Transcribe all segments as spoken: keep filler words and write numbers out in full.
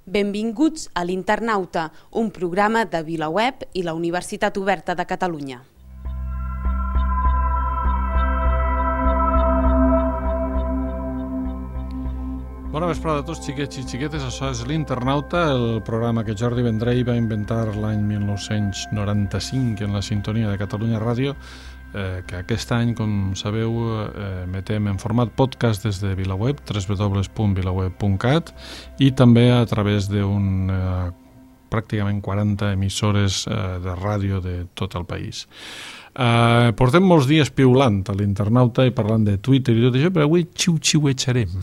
Benvinguts a l'Internauta, un programa de VilaWeb i la Universitat Oberta de Catalunya. Bona vesprada a tots, xiquets i xiquetes. Això és l'Internauta, el programa que Jordi Vendrell va inventar l'any mil nou-cents noranta-cinc en la sintonia de Catalunya Ràdio, eh, que aquest any, com sabeu, eh, emetem en format podcast des de VilaWeb, w w w punt vilaweb punt cat, i també a través d'un eh, pràcticament quaranta emissores eh, de ràdio de tot el país. Eh, portem molts dies piulant a l'Internauta i parlant de Twitter i tot això, però avui xiu-xiuetxarem.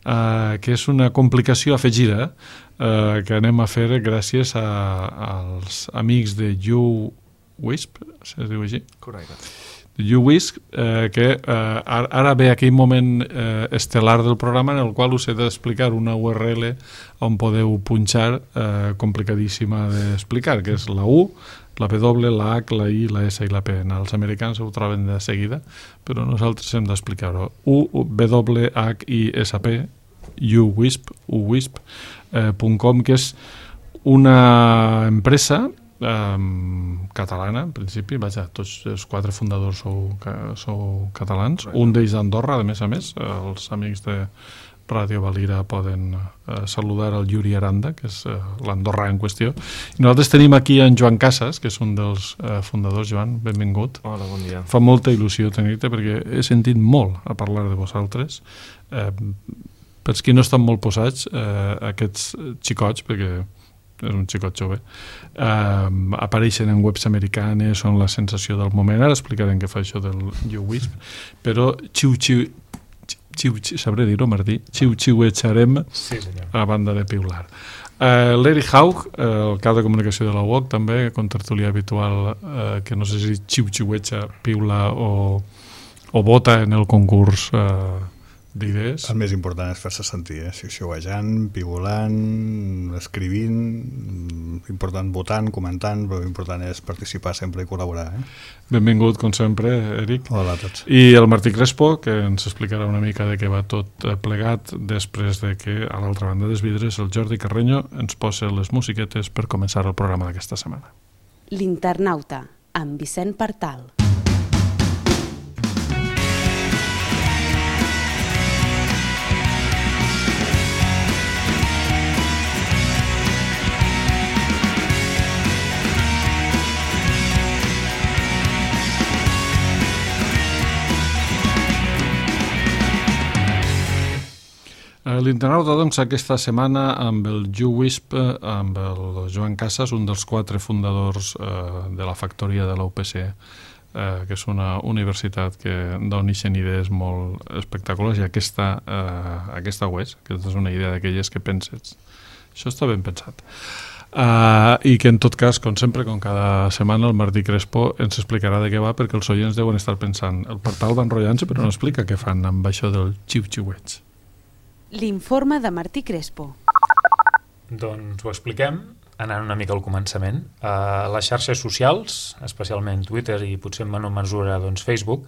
Uh, que és una complicació afegida uh, que anem a fer gràcies a, als amics de YouWisp, se diu així? Correcte. De YouWisp, uh, que uh, ara ve aquell moment uh, estel·lar del programa en el qual us he d'explicar una U R L on podeu punxar, uh, complicadíssima d'explicar, que és la U, la W, la H, la I, la S i la P. Els americans ho troben de seguida, però nosaltres hem d'explicar-ho. U, W, H, I, S, P, YouWisp, uwisp punt com, que és una empresa um, catalana, en principi. Vaja, tots els quatre fundadors sou, sou catalans. Un d'ells d'Andorra, a més a més. Els amics de Ràdio Valira poden eh, saludar el Yuri Aranda, que és eh, l'andorrà en qüestió. I nosaltres tenim aquí en Joan Casas, que és un dels eh, fundadors. Joan, benvingut. Hola, bon dia. Fa molta il·lusió tenir-te perquè he sentit molt a parlar de vosaltres. Eh, per qui no estan molt posats, eh, aquests xicots, perquè és un xicot jove, eh, apareixen en webs americanes, són la sensació del moment. Ara explicarem què fa això del YouWisp, però xiu-xiu Xiu, xiu, sabré dir-ho, Martí, xiu-xiuetxarem sí, a banda de piular. Uh, L'Eri Haug, uh, el cap de comunicació de la U O C, també, contertulià habitual, uh, que no sé si xiu-xiuetxa, piula o, o vota en el concurs uh, d'idees. El més important és fer-se sentir, eh? Xiu-xiuejant, piulant, escrivint, important votant, comentant, però l'important és participar sempre i col·laborar. Eh? Benvingut, com sempre, Eric. Hola a tots. I el Martí Crespo, que ens explicarà una mica de què va tot plegat després de que, a l'altra banda dels vidres, el Jordi Carreño ens posa les musiquetes per començar el programa d'aquesta setmana. L'Internauta, amb Vicent Partal. L'Internauta, doncs, aquesta setmana amb el YouWisp, amb el Joan Casas, un dels quatre fundadors eh, de la factoria de la U P C, eh, que és una universitat que dona idees molt espectaculars, i aquesta, eh, aquesta ho és, aquesta és una idea d'aquelles que penses. Això està ben pensat. Uh, I que en tot cas, com sempre, com cada setmana, el Martí Crespo ens explicarà de què va, perquè els oients deuen estar pensant el Partal va enrotllant-se, però no explica què fan amb això del xiu-xiuets. L'informe de Martí Crespo. Doncs ho expliquem anant una mica al començament. Uh, les xarxes socials, especialment Twitter i potser en menor mesura doncs, Facebook,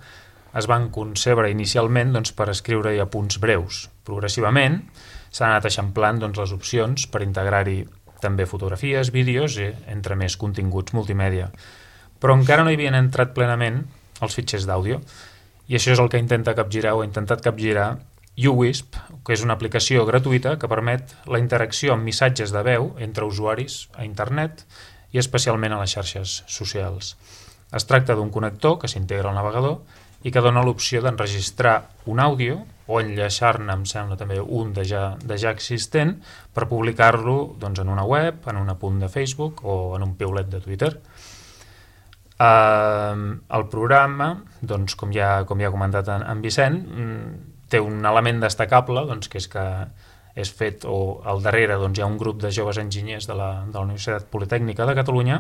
es van concebre inicialment doncs, per escriure-hi apunts breus. Progressivament s'han anat eixamplant doncs, les opcions per integrar-hi també fotografies, vídeos i entre més continguts multimèdia. Però encara no hi havien entrat plenament els fitxers d'àudio, i això és el que intenta capgirar o ha intentat capgirar YouWisp, que és una aplicació gratuïta que permet la interacció amb missatges de veu entre usuaris a internet i especialment a les xarxes socials. Es tracta d'un connector que s'integra al navegador i que dona l'opció d'enregistrar un àudio o enllaçar-ne, em sembla també un de ja, de ja existent, per publicar-lo doncs, en una web, en un apunt de Facebook o en un piulet de Twitter. Uh, el programa, doncs, com, ja, com ja ha comentat en, en Vicent, té un element destacable, doncs, que és que és fet, o al darrere doncs, hi ha un grup de joves enginyers de la, de la Universitat Politècnica de Catalunya,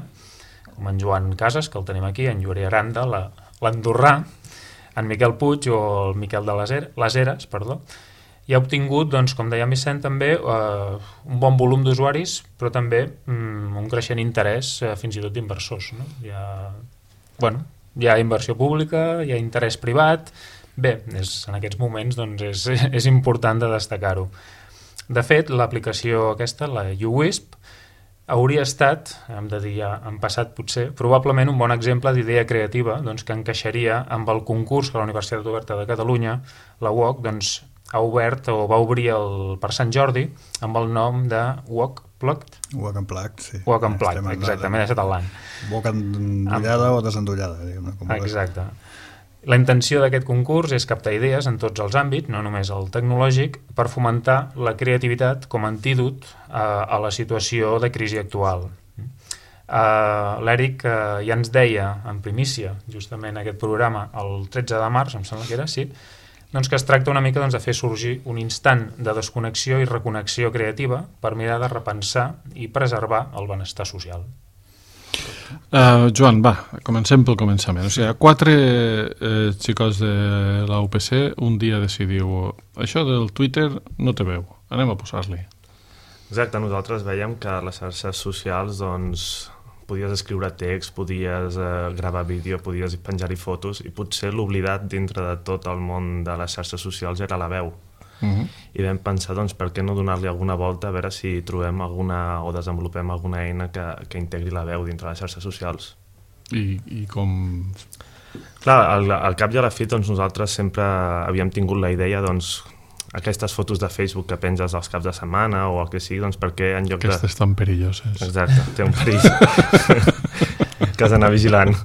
com en Joan Casas, que el tenim aquí, en Yuri Aranda, la, l'andorrà, en Miquel Puig o el Miquel de les, les Eres, perdó, i ha obtingut, doncs, com deia Vicent, també eh, un bon volum d'usuaris, però també mm, un creixent interès, eh, fins i tot d'inversors. No? Hi ha, bueno, hi ha inversió pública, hi ha interès privat. Bé, és, en aquests moments doncs, és, és important de destacar-ho. De fet, l'aplicació aquesta, la uWisp, hauria estat, hem de dir ja en passat potser, probablement un bon exemple d'idea creativa doncs, que encaixaria amb el concurs que la Universitat Oberta de Catalunya, la U O C, doncs, ha obert o va obrir el, per Sant Jordi amb el nom de U O C Plugged. U O C Unplugged, sí. U O C Unplugged, exactament, ha estat el l'any. U O C endollada o desendollada, diguem-ne. Exacte. La intenció d'aquest concurs és captar idees en tots els àmbits, no només el tecnològic, per fomentar la creativitat com a antídot a, a la situació de crisi actual. Uh, L'Eric uh, ja ens deia en primícia, justament aquest programa, el tretze de març, em sembla que era, sí, doncs que es tracta una mica doncs, de fer sorgir un instant de desconnexió i reconnexió creativa per mirar de repensar i preservar el benestar social. Uh, Joan, va, comencem pel començament. O sigui, quatre eh, xicots de la U P C un dia decidiu això del Twitter no té veu, anem a posar-li. Exacte, nosaltres veiem que a les xarxes socials doncs, podies escriure text, podies eh, gravar vídeo, podies penjar-hi fotos i potser l'oblidat dintre de tot el món de les xarxes socials era la veu. Uh-huh. I vam pensar, doncs, per què no donar-li alguna volta a veure si trobem alguna o desenvolupem alguna eina que, que integri la veu dintre les xarxes socials. I, i com... Clar, al, al cap i a la fi doncs, nosaltres sempre havíem tingut la idea doncs, aquestes fotos de Facebook que penges als caps de setmana o el que sigui, doncs perquè en lloc Aquestes de... Aquestes tan perilloses. Exacte, té un perill que has d'anar vigilant.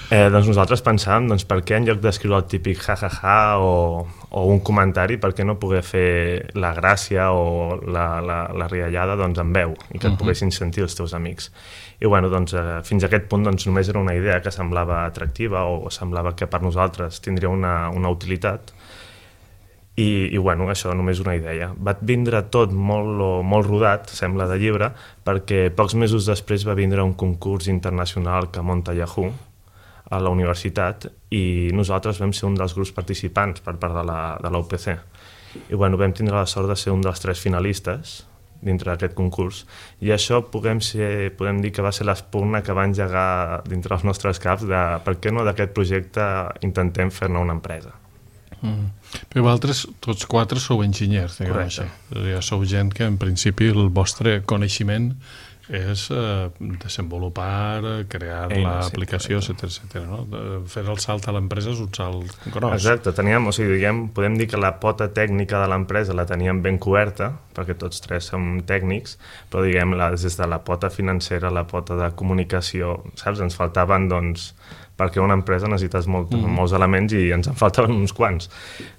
Eh, doncs nosaltres pensàvem, doncs, per què en lloc d'escriure el típic ja-ja-ja o, o un comentari, per què no poder fer la gràcia o la, la, la riallada doncs, en veu i que et poguessin sentir els teus amics. I bueno, doncs, eh, fins a aquest punt doncs, només era una idea que semblava atractiva o semblava que per nosaltres tindria una, una utilitat i, i bueno, això només una idea. Va vindre tot molt, molt rodat, sembla de llibre, perquè pocs mesos després va vindre un concurs internacional que munta Yahoo a la universitat i nosaltres vam ser un dels grups participants per part de la, de la U P C. I bueno, vam tindre la sort de ser un dels tres finalistes dintre d'aquest concurs i això podem, ser, podem dir que va ser l'espurna que va engegar dintre els nostres caps de per què no d'aquest projecte intentem fer-ne una empresa. Mm. Però vosaltres, tots quatre, sou enginyers, diguem així. Ja sou gent que en principi el vostre coneixement és eh, desenvolupar, crear l'aplicació, sí, etcètera, etcètera, no? Fer el salt a l'empresa és un salt gros. Exacte, teníem, o sigui, diguem, podem dir que la pota tècnica de l'empresa la teníem ben coberta, perquè tots tres som tècnics, però diguem, la, des de la pota financera, la pota de comunicació, saps? Ens faltaven, doncs, perquè una empresa necessites molt, mm. molts elements i ens en faltaven uns quants.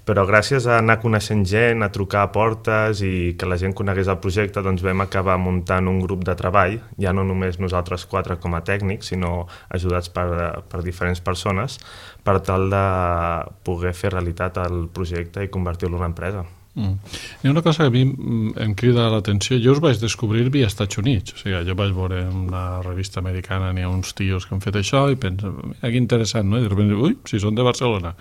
Però gràcies a anar coneixent gent, a trucar a portes i que la gent conegués el projecte, doncs vam acabar muntant un grup de treball, ja no només nosaltres quatre com a tècnics, sinó ajudats per, per diferents persones, per tal de poder fer realitat el projecte i convertir-lo en una empresa. Mm. Hi ha una cosa que a mi em crida l'atenció. Jo us vaig descobrir via Estats Units, o sigui, jo vaig veure en una revista americana, n'hi ha uns tios que han fet això i penso, que interessant, no? I de sobte, ui, si són de Barcelona,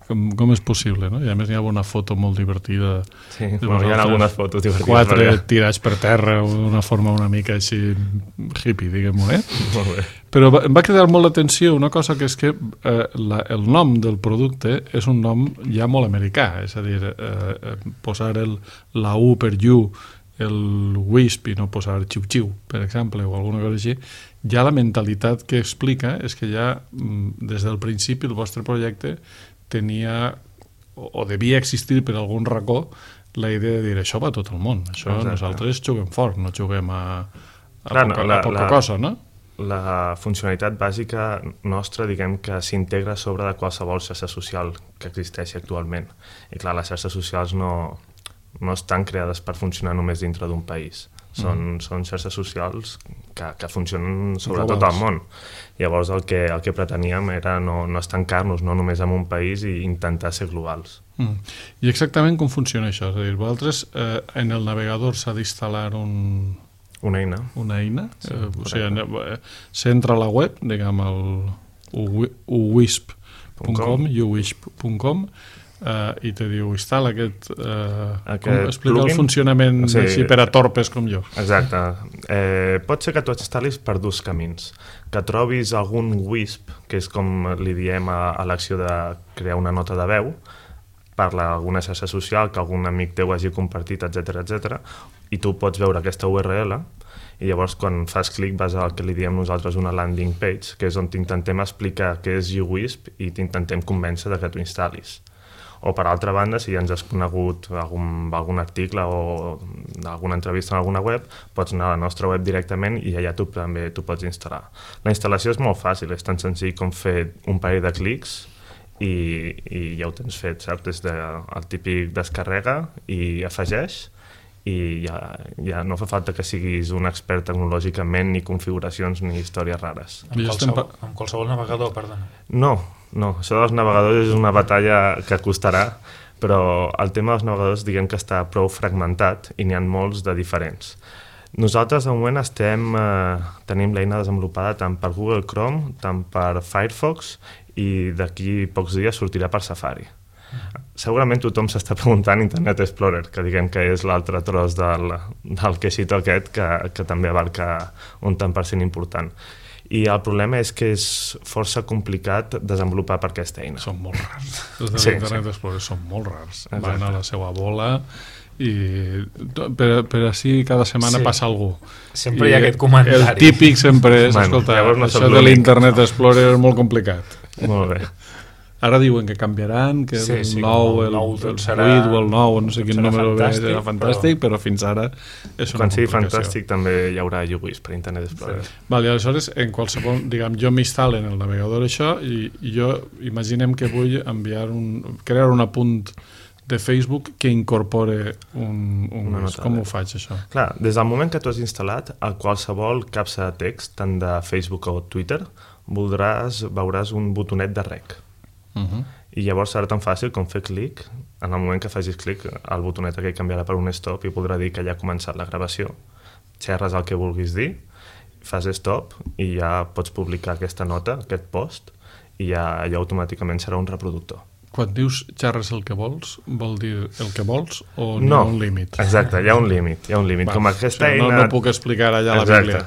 com, com és possible, no? I a més hi ha una foto molt divertida. Sí, bueno, hi ha algunes fotos divertides. Quatre perquè... tirats per terra, d'una forma una mica així hippie, diguem-ho, eh? Molt bé. Però em va cridar molt l'atenció una cosa que és que eh, la, el nom del producte és un nom ja molt americà, és a dir, eh, posar el, la U per you, el wisp i no posar xiu-xiu, per exemple, o alguna cosa així, ja la mentalitat que explica és que ja des del principi el vostre projecte tenia o, o devia existir per algun racó la idea de dir això va a tot el món, això exacte. Nosaltres juguem fort, no juguem a, a, Clar, poca, no, la, a poca la... cosa, no? La funcionalitat bàsica nostra, diguem que s'integra sobre de qualsevol xarxa social que existeixi actualment. I clar, les xarxes socials no, no estan creades per funcionar només dintre d'un país. Són, mm. són xarxes socials que, que funcionen sobre tot el món. Llavors el que, el que preteníem era no, no estancar-nos no només en un país i intentar ser globals. Mm. I exactament com funciona això? És a dir, vosaltres eh, en el navegador s'ha d'instal·lar un... Una eina. Una eina. Sí, eh, o sigui, s'entra a la web, diguem, el uwisp punt com, uwisp punt com, eh, i te diu, instal·la aquest... Eh, aquest com, explica plugin? El funcionament sí, així per a torpes com jo. Exacte. Eh, pot ser que tu instal·lis per dos camins. Que trobis algun wisp, que és com li diem a, a l'acció de crear una nota de veu, parla alguna xarxa social que algun amic teu hagi compartit, etcètera, etcètera, i tu pots veure aquesta U R L i llavors quan fas clic vas al que li diem nosaltres una landing page, que és on t'intentem explicar què és uWisp i t'intentem convèncer de que t'ho instal·lis. O per altra banda, si ja ens has conegut algun, algun article o alguna entrevista en alguna web, pots anar a la nostra web directament i allà tu també t'ho pots instal·lar. La instal·lació és molt fàcil, és tan senzill com fer un parell de clics i, i ja ho tens fet, saps? Des del típic descarrega i afegeix, i ja, ja no fa falta que siguis un expert tecnològicament, ni configuracions ni històries rares. Amb qualsevol, amb qualsevol navegador, perdona. No, no, això dels navegadors és una batalla que costarà, però el tema dels navegadors diguem que està prou fragmentat i n'hi ha molts de diferents. Nosaltres de moment estem, eh, tenim l'eina desenvolupada tant per Google Chrome, tant per Firefox i d'aquí pocs dies sortirà per Safari. Segurament tothom s'està preguntant Internet Explorer, que diguem que és l'altre tros del, del queixito aquest que, que també abarca un tant per cent important. I el problema és que és força complicat desenvolupar per aquesta eina. Són molt rars. Els de Sí, l'Internet sí. Explorer són molt rars. Exacte. Van a la seva bola i per, per així cada setmana Sí. passa algú. Sempre I hi ha aquest comentari. El típic sempre és, Bueno, escolta, llavors no això sóc de l'únic. l'Internet Explorer és molt complicat. Molt bé. Ara diuen que canviaran, que Sí, el sí, nou, el el, nou el tot serà- vuit o el nou, no sé tot quin serà número ve, fantàstic, serà fantàstic, però... però fins ara és una Quan sigui complicació. fantàstic també hi haurà uWisp per Internet Explorer. Sí. Vale, aleshores, en qualsevol, diguem, jo m'instal·lo en el navegador això i, i jo imaginem que vull enviar un, crear un apunt de Facebook que incorpore un, un Una WISP. nota Com de- ho faig, això? Clar, des del moment que tu has instal·lat, a qualsevol capsa de text, tant de Facebook o Twitter, voldràs, veuràs un botonet de rec. Uh -huh. I llavors serà tan fàcil com fer clic. En el moment que facis clic, el botonet aquell canviarà per un stop i podrà dir que ja ha començat la gravació. Xerres el que vulguis dir, fas stop i ja pots publicar aquesta nota, aquest post, i ja, ja automàticament serà un reproductor. Quan dius xerres el que vols, vol dir el que vols o n'hi No, ha un límit? exacte, hi ha un límit. Hi ha un límit. Va, Com aquesta o sigui, eina... no, no puc explicar allà a la Exacte. Bíblia.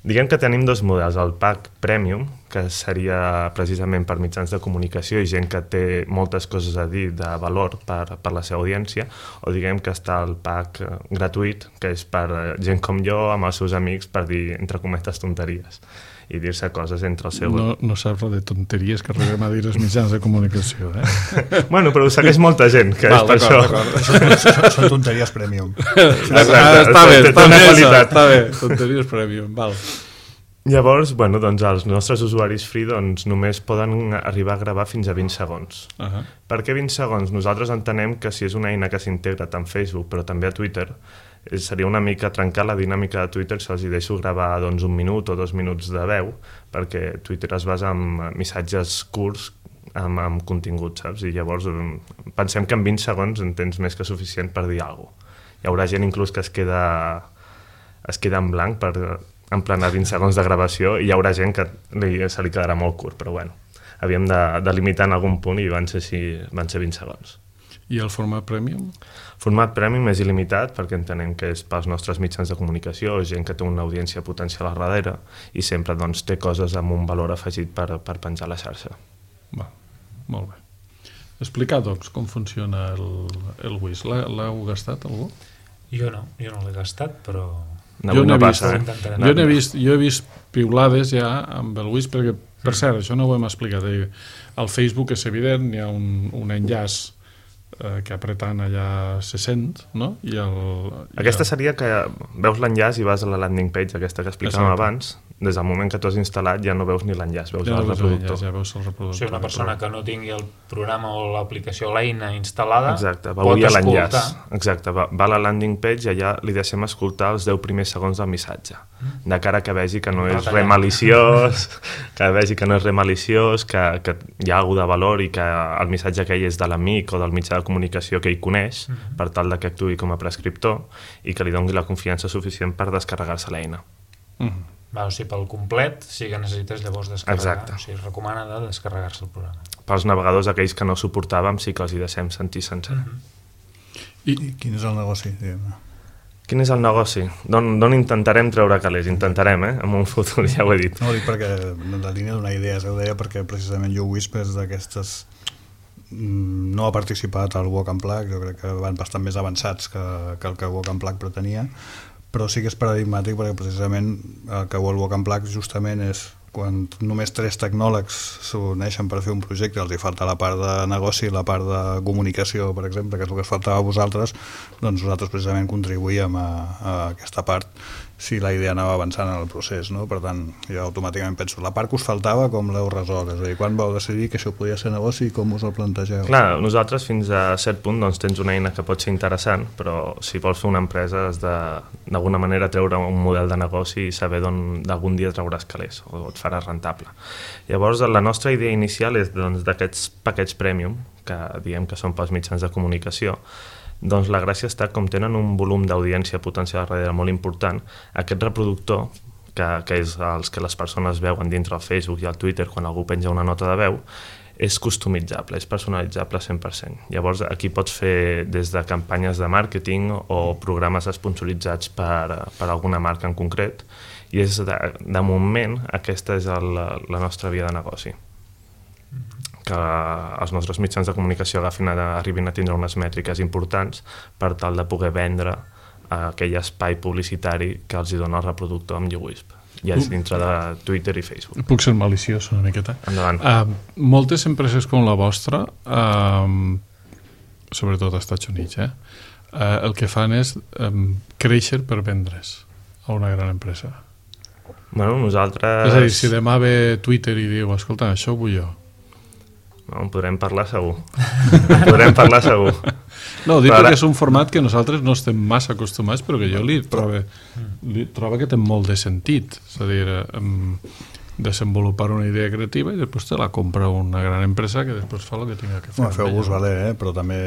Diguem que tenim dos models, el pack premium, que seria precisament per mitjans de comunicació i gent que té moltes coses a dir de valor per, per la seva audiència, o diguem que està el pack eh, gratuït, que és per eh, gent com jo, amb els seus amics, per dir, entre cometes, tonteries i dir-se coses entre el seu... No, no saps res de tonteries que arribem a dir els mitjans de comunicació, eh? Bueno, però ho segueix molta gent, que Val, és per d'acord, això. d'acord. Són, són, són tonteries premium. Exacte, Ah, està bé, té està una bé, qualitat. està bé. Tonteries premium, val. Llavors, bueno, doncs els nostres usuaris free doncs, només poden arribar a gravar fins a vint segons. Uh -huh. Per què vint segons? Nosaltres entenem que si és una eina que s'integra tant a Facebook però també a Twitter, eh, seria una mica trencar la dinàmica de Twitter si els hi deixo gravar doncs, un minut o dos minuts de veu, perquè Twitter es basa en missatges curts amb, amb contingut, saps? I llavors eh, pensem que en vint segons en tens més que suficient per dir alguna cosa. Hi haurà gent inclús que es queda, es queda en blanc per emplenar vint segons de gravació i hi haurà gent que li, se li quedarà molt curt, però bueno, havíem de, de limitar en algun punt i van ser, així, van ser vint segons. I el format premium? Format premium és il·limitat perquè entenem que és pels nostres mitjans de comunicació, gent que té una audiència potencial a darrere i sempre doncs, té coses amb un valor afegit per, per penjar a la xarxa. Va, molt bé. Explicar, doncs, com funciona el, el WISP. L'heu gastat, algú? Jo no, jo no l'he gastat, però... Avui Jo no n'he vist, passa, eh? intentarem. jo n'he vist, jo he vist piulades ja amb el WISP, perquè, per cert, això no ho hem explicat. Eh? Al Facebook és evident, hi ha un, un enllaç eh, que apretant allà se sent, no? I el, i Aquesta el... seria que veus l'enllaç i vas a la landing page, aquesta que explicàvem Exacte. abans, des del moment que tu has instal·lat ja no veus ni l'enllaç, veus Ja el no veus reproductor. l'enllaç, ja veus el O reproductor. sigui, una persona que no tingui el programa o l'aplicació o l'eina instal·lada Exacte, pot veuria escoltar. l'enllaç. Exacte, va, va a la landing page i allà li deixem escoltar els deu primers segons del missatge, de cara que vegi que no és Retallant. res maliciós, que vegi que no és res maliciós, que, que hi ha alguna de valor i que el missatge aquell és de l'amic o del mitjà de comunicació que ell coneix, Mhm. per tal de que actuï com a prescriptor i que li doni la confiança suficient per descarregar-se l'eina. Mhm. Va, o sigui, pel complet sí que necessites llavors descarregar. Exacte. O sigui, es recomana de descarregar-se el programa. Pels navegadors, aquells que no suportàvem, sí que els hi deixem sentir sencer. Mhm. I, I quin és el negoci? Diguem-ne? Quin és el negoci? D'on intentarem treure calés? Intentarem, eh? En un futur, ja ho he dit. No, ho dic perquè en la línia d'una idea, ho deia perquè precisament uWisp és d'aquestes no ha participat al Walk and Plug, jo crec que van bastant més avançats que, que el que Walk and Plug pretenia, però sí que és paradigmàtic perquè precisament el que vol Walk and Plug justament és quan només tres tecnòlegs s'uneixen per fer un projecte, els hi falta la part de negoci i la part de comunicació, per exemple, que és el que us faltava a vosaltres, doncs nosaltres precisament contribuïm a, a aquesta part si la idea anava avançant en el procés, no? Per tant, jo automàticament penso, la part que us faltava com l'heu resolt? És a dir, quan vau decidir que això podia ser negoci i com us el plantegeu? Clar, nosaltres fins a cert punt doncs, tens una eina que pot ser interessant, però si vols fer una empresa has de d'alguna manera treure un model de negoci i saber d'algun dia trauràs calés o et faràs rentable. Llavors, la nostra idea inicial és doncs, d'aquests paquets premium, que diem que són pels mitjans de comunicació, doncs la gràcia està com tenen un volum d'audiència potencial darrere molt important, aquest reproductor, que, que és els que les persones veuen dintre el Facebook i el Twitter quan algú penja una nota de veu, és customitzable, és personalitzable cent per cent. Llavors aquí pots fer des de campanyes de màrqueting o programes esponsoritzats per, per alguna marca en concret, i és de, de moment aquesta és el, la nostra via de negoci. Que els nostres mitjans de comunicació agafin a, arribin a tindre unes mètriques importants per tal de poder vendre aquell espai publicitari que els hi dona el reproductor amb YouWisp, ja és dintre de Twitter i Facebook. Puc ser maliciós una miqueta? Endavant. Uh, moltes empreses com la vostra, uh, sobretot als Estats Units, eh, uh, el que fan és um, créixer per vendre's a una gran empresa. Bueno, nosaltres... És a dir, si demà ve Twitter i diu, escolta, això ho vull jo. No, en podrem parlar segur. En podrem parlar segur. No, dic però perquè ara... és un format que nosaltres no estem massa acostumats, però que jo li trobo, li trobo que té molt de sentit. És a dir, um, desenvolupar una idea creativa i després te la compra una gran empresa que després fa el que tinga que fer. No, feu-vos valer, eh? Però també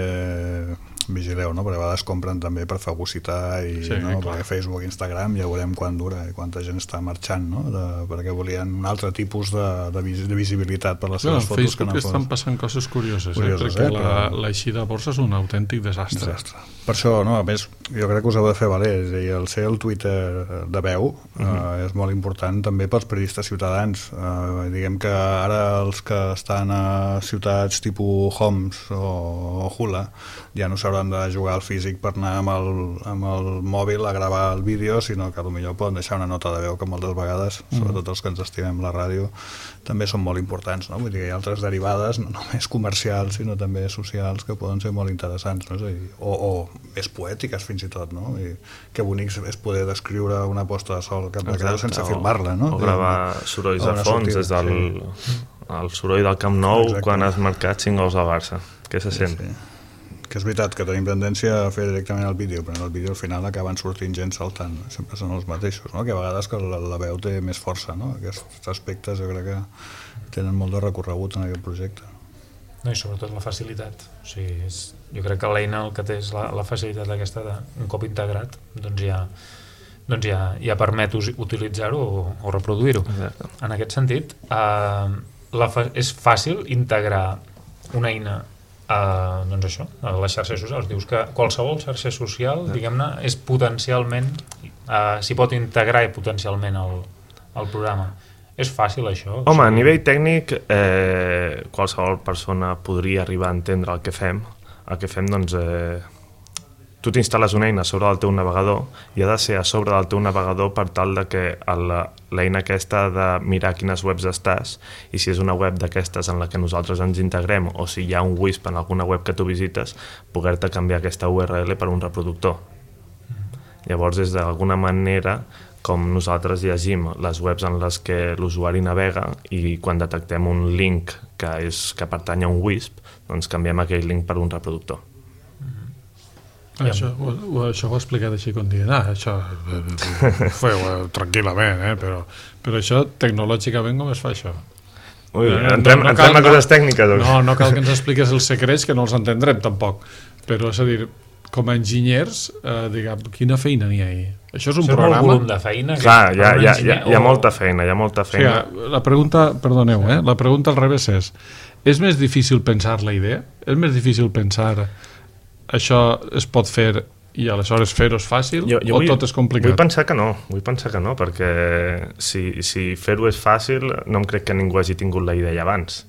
vigileu, no? Perquè a vegades compren també per fagocitar i, sí, no? clar. Perquè Facebook i Instagram ja veurem quan dura i quanta gent està marxant, no? De, perquè volien un altre tipus de, de, vis, de visibilitat per les seves bueno, fotos. Facebook que no estan fos... passant coses curioses, curioses eh? perquè eh? la, Però... l'eixida a borsa és un autèntic desastre. desastre. Per això, no? A més, jo crec que us heu de fer valer, és a dir, el ser el Twitter de veu uh -huh. eh, és molt important també pels periodistes ciutadans. Eh, diguem que ara els que estan a ciutats tipus Homs o, o Hula ja no s'hauran de jugar al físic per anar amb el, amb el mòbil a gravar el vídeo, sinó que potser poden deixar una nota de veu que moltes vegades, mm. sobretot els que ens estimem la ràdio, també són molt importants, no? Vull dir que hi ha altres derivades, no només comercials, sinó també socials, que poden ser molt interessants, no? És a dir, o, o més poètiques fins i tot, no? I que bonic és poder descriure una posta de sol cap de Creu sense filmar-la, no? O gravar sorolls de fons, sortida, des del sí. el soroll del Camp Nou. Exacte. Quan has marcat cinc gols al Barça. Què se sent? Sí, sí. Que és veritat que tenim tendència a fer directament el vídeo, però en el vídeo al final acaben sortint gent saltant, sempre són els mateixos, no? Que a vegades que la, la veu té més força, no? Aquests aspectes jo crec que tenen molt de recorregut en aquest projecte. No, i sobretot la facilitat. O sigui, és, jo crec que l'eina el que té és la, la facilitat aquesta de, un cop integrat, doncs ja, doncs ja, ja permet utilitzar-ho o, o reproduir-ho. En aquest sentit, eh, la fa, és fàcil integrar una eina Uh, doncs això, a les xarxes socials. Dius que qualsevol xarxa social, diguem-ne, és potencialment uh, s'hi pot integrar i potencialment el, el programa. És fàcil això? Home, a nivell tècnic eh, qualsevol persona podria arribar a entendre el que fem. El que fem, doncs eh, tu t'instal·les una eina sobre el teu navegador i ha de ser a sobre del teu navegador per tal de que l'eina aquesta ha de mirar quines webs estàs, i si és una web d'aquestes en la que nosaltres ens integrem o si hi ha un WISP en alguna web que tu visites, poder-te canviar aquesta U R L per un reproductor. Llavors és d'alguna manera com nosaltres llegim les webs en les que l'usuari navega, i quan detectem un link que, és, que pertany a un WISP, doncs canviem aquell link per un reproductor. Això, ho, això ho he explicat així com dient, ah, això ho feu eh, tranquil·lament, eh? però, però això tecnològicament com es fa això? Ui, no, entrem, no, no entrem cal, a coses tècniques. No, no cal que ens expliques els secrets, que no els entendrem tampoc, però és a dir, com a enginyers, eh, diguem, quina feina n'hi ha ahí? Això és un això programa... És molt volum de feina. Clar, hi ha, hi, ha, hi, ha, hi ha molta feina, hi ha molta feina. O sigui, la pregunta, perdoneu, eh? la pregunta al revés és, és més difícil pensar la idea? És més difícil pensar això es pot fer i aleshores fer-ho és fàcil, jo, jo o vull, tot és complicat? Vull pensar que no, vull pensar que no, perquè si, si fer-ho és fàcil, no em crec que ningú hagi tingut la idea abans.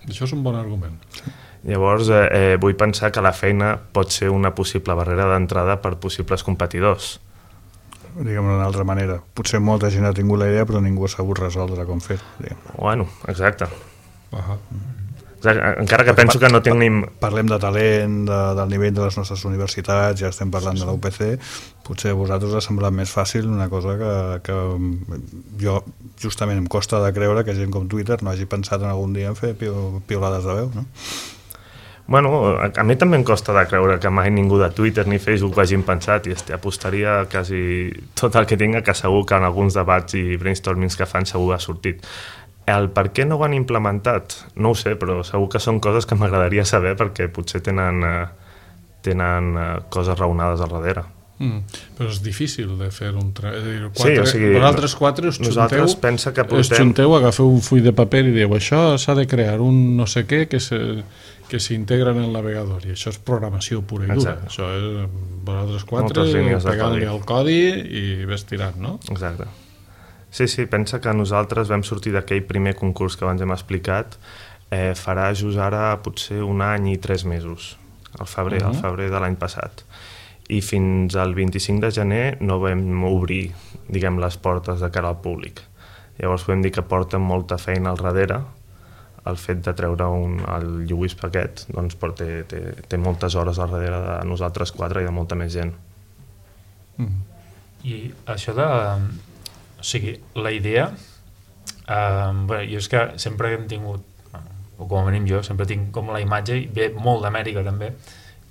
Això és un bon argument. Llavors, eh, eh, vull pensar que la feina pot ser una possible barrera d'entrada per possibles competidors. Diguem-ho d'una altra manera. Potser molta gent ha tingut la idea, però ningú ha sabut resoldre com fer-ho. Bueno, exacte. Uh -huh. exacte. Encara que penso que no tenim... Parlem de talent, de, del nivell de les nostres universitats, ja estem parlant de la U P C, potser a vosaltres us ha semblat més fàcil una cosa que, que jo justament em costa de creure que gent com Twitter no hagi pensat en algun dia en fer piolades de veu, no? Bueno, a mi també em costa de creure que mai ningú de Twitter ni Facebook ho hagin pensat i este, apostaria quasi tot el que tinga, que segur que en alguns debats i brainstormings que fan segur ha sortit. El per què no ho han implementat? No ho sé, però segur que són coses que m'agradaria saber perquè potser tenen, eh, tenen eh, coses raonades al darrere. Mm, però és difícil de fer un... Tra... És a dir, quatre, sí, o sigui, vosaltres quatre us xunteu, nosaltres pensa que portem... us xunteu, agafeu un full de paper i dieu això s'ha de crear un no sé què que se... que s'integra en el navegador, i això és programació pura i dura. Exacte. Això és vosaltres quatre pegant-li el codi i ves tirant, no? Exacte. Sí, sí, pensa que nosaltres vam sortir d'aquell primer concurs que abans hem explicat, eh, farà just ara potser un any i tres mesos, al febrer, uh -huh. al febrer de l'any passat. I fins al vint-i-cinc de gener no vam obrir, diguem, les portes de cara al públic. Llavors podem dir que porta molta feina al darrere. El fet de treure un, el Lluís aquest doncs, té, té, té moltes hores al darrere de nosaltres quatre i de molta més gent. Mm. I això de... O sigui, la idea... Eh, bé, jo és que sempre hem tingut, o com a mínim jo, sempre tinc com la imatge, i ve molt d'Amèrica també,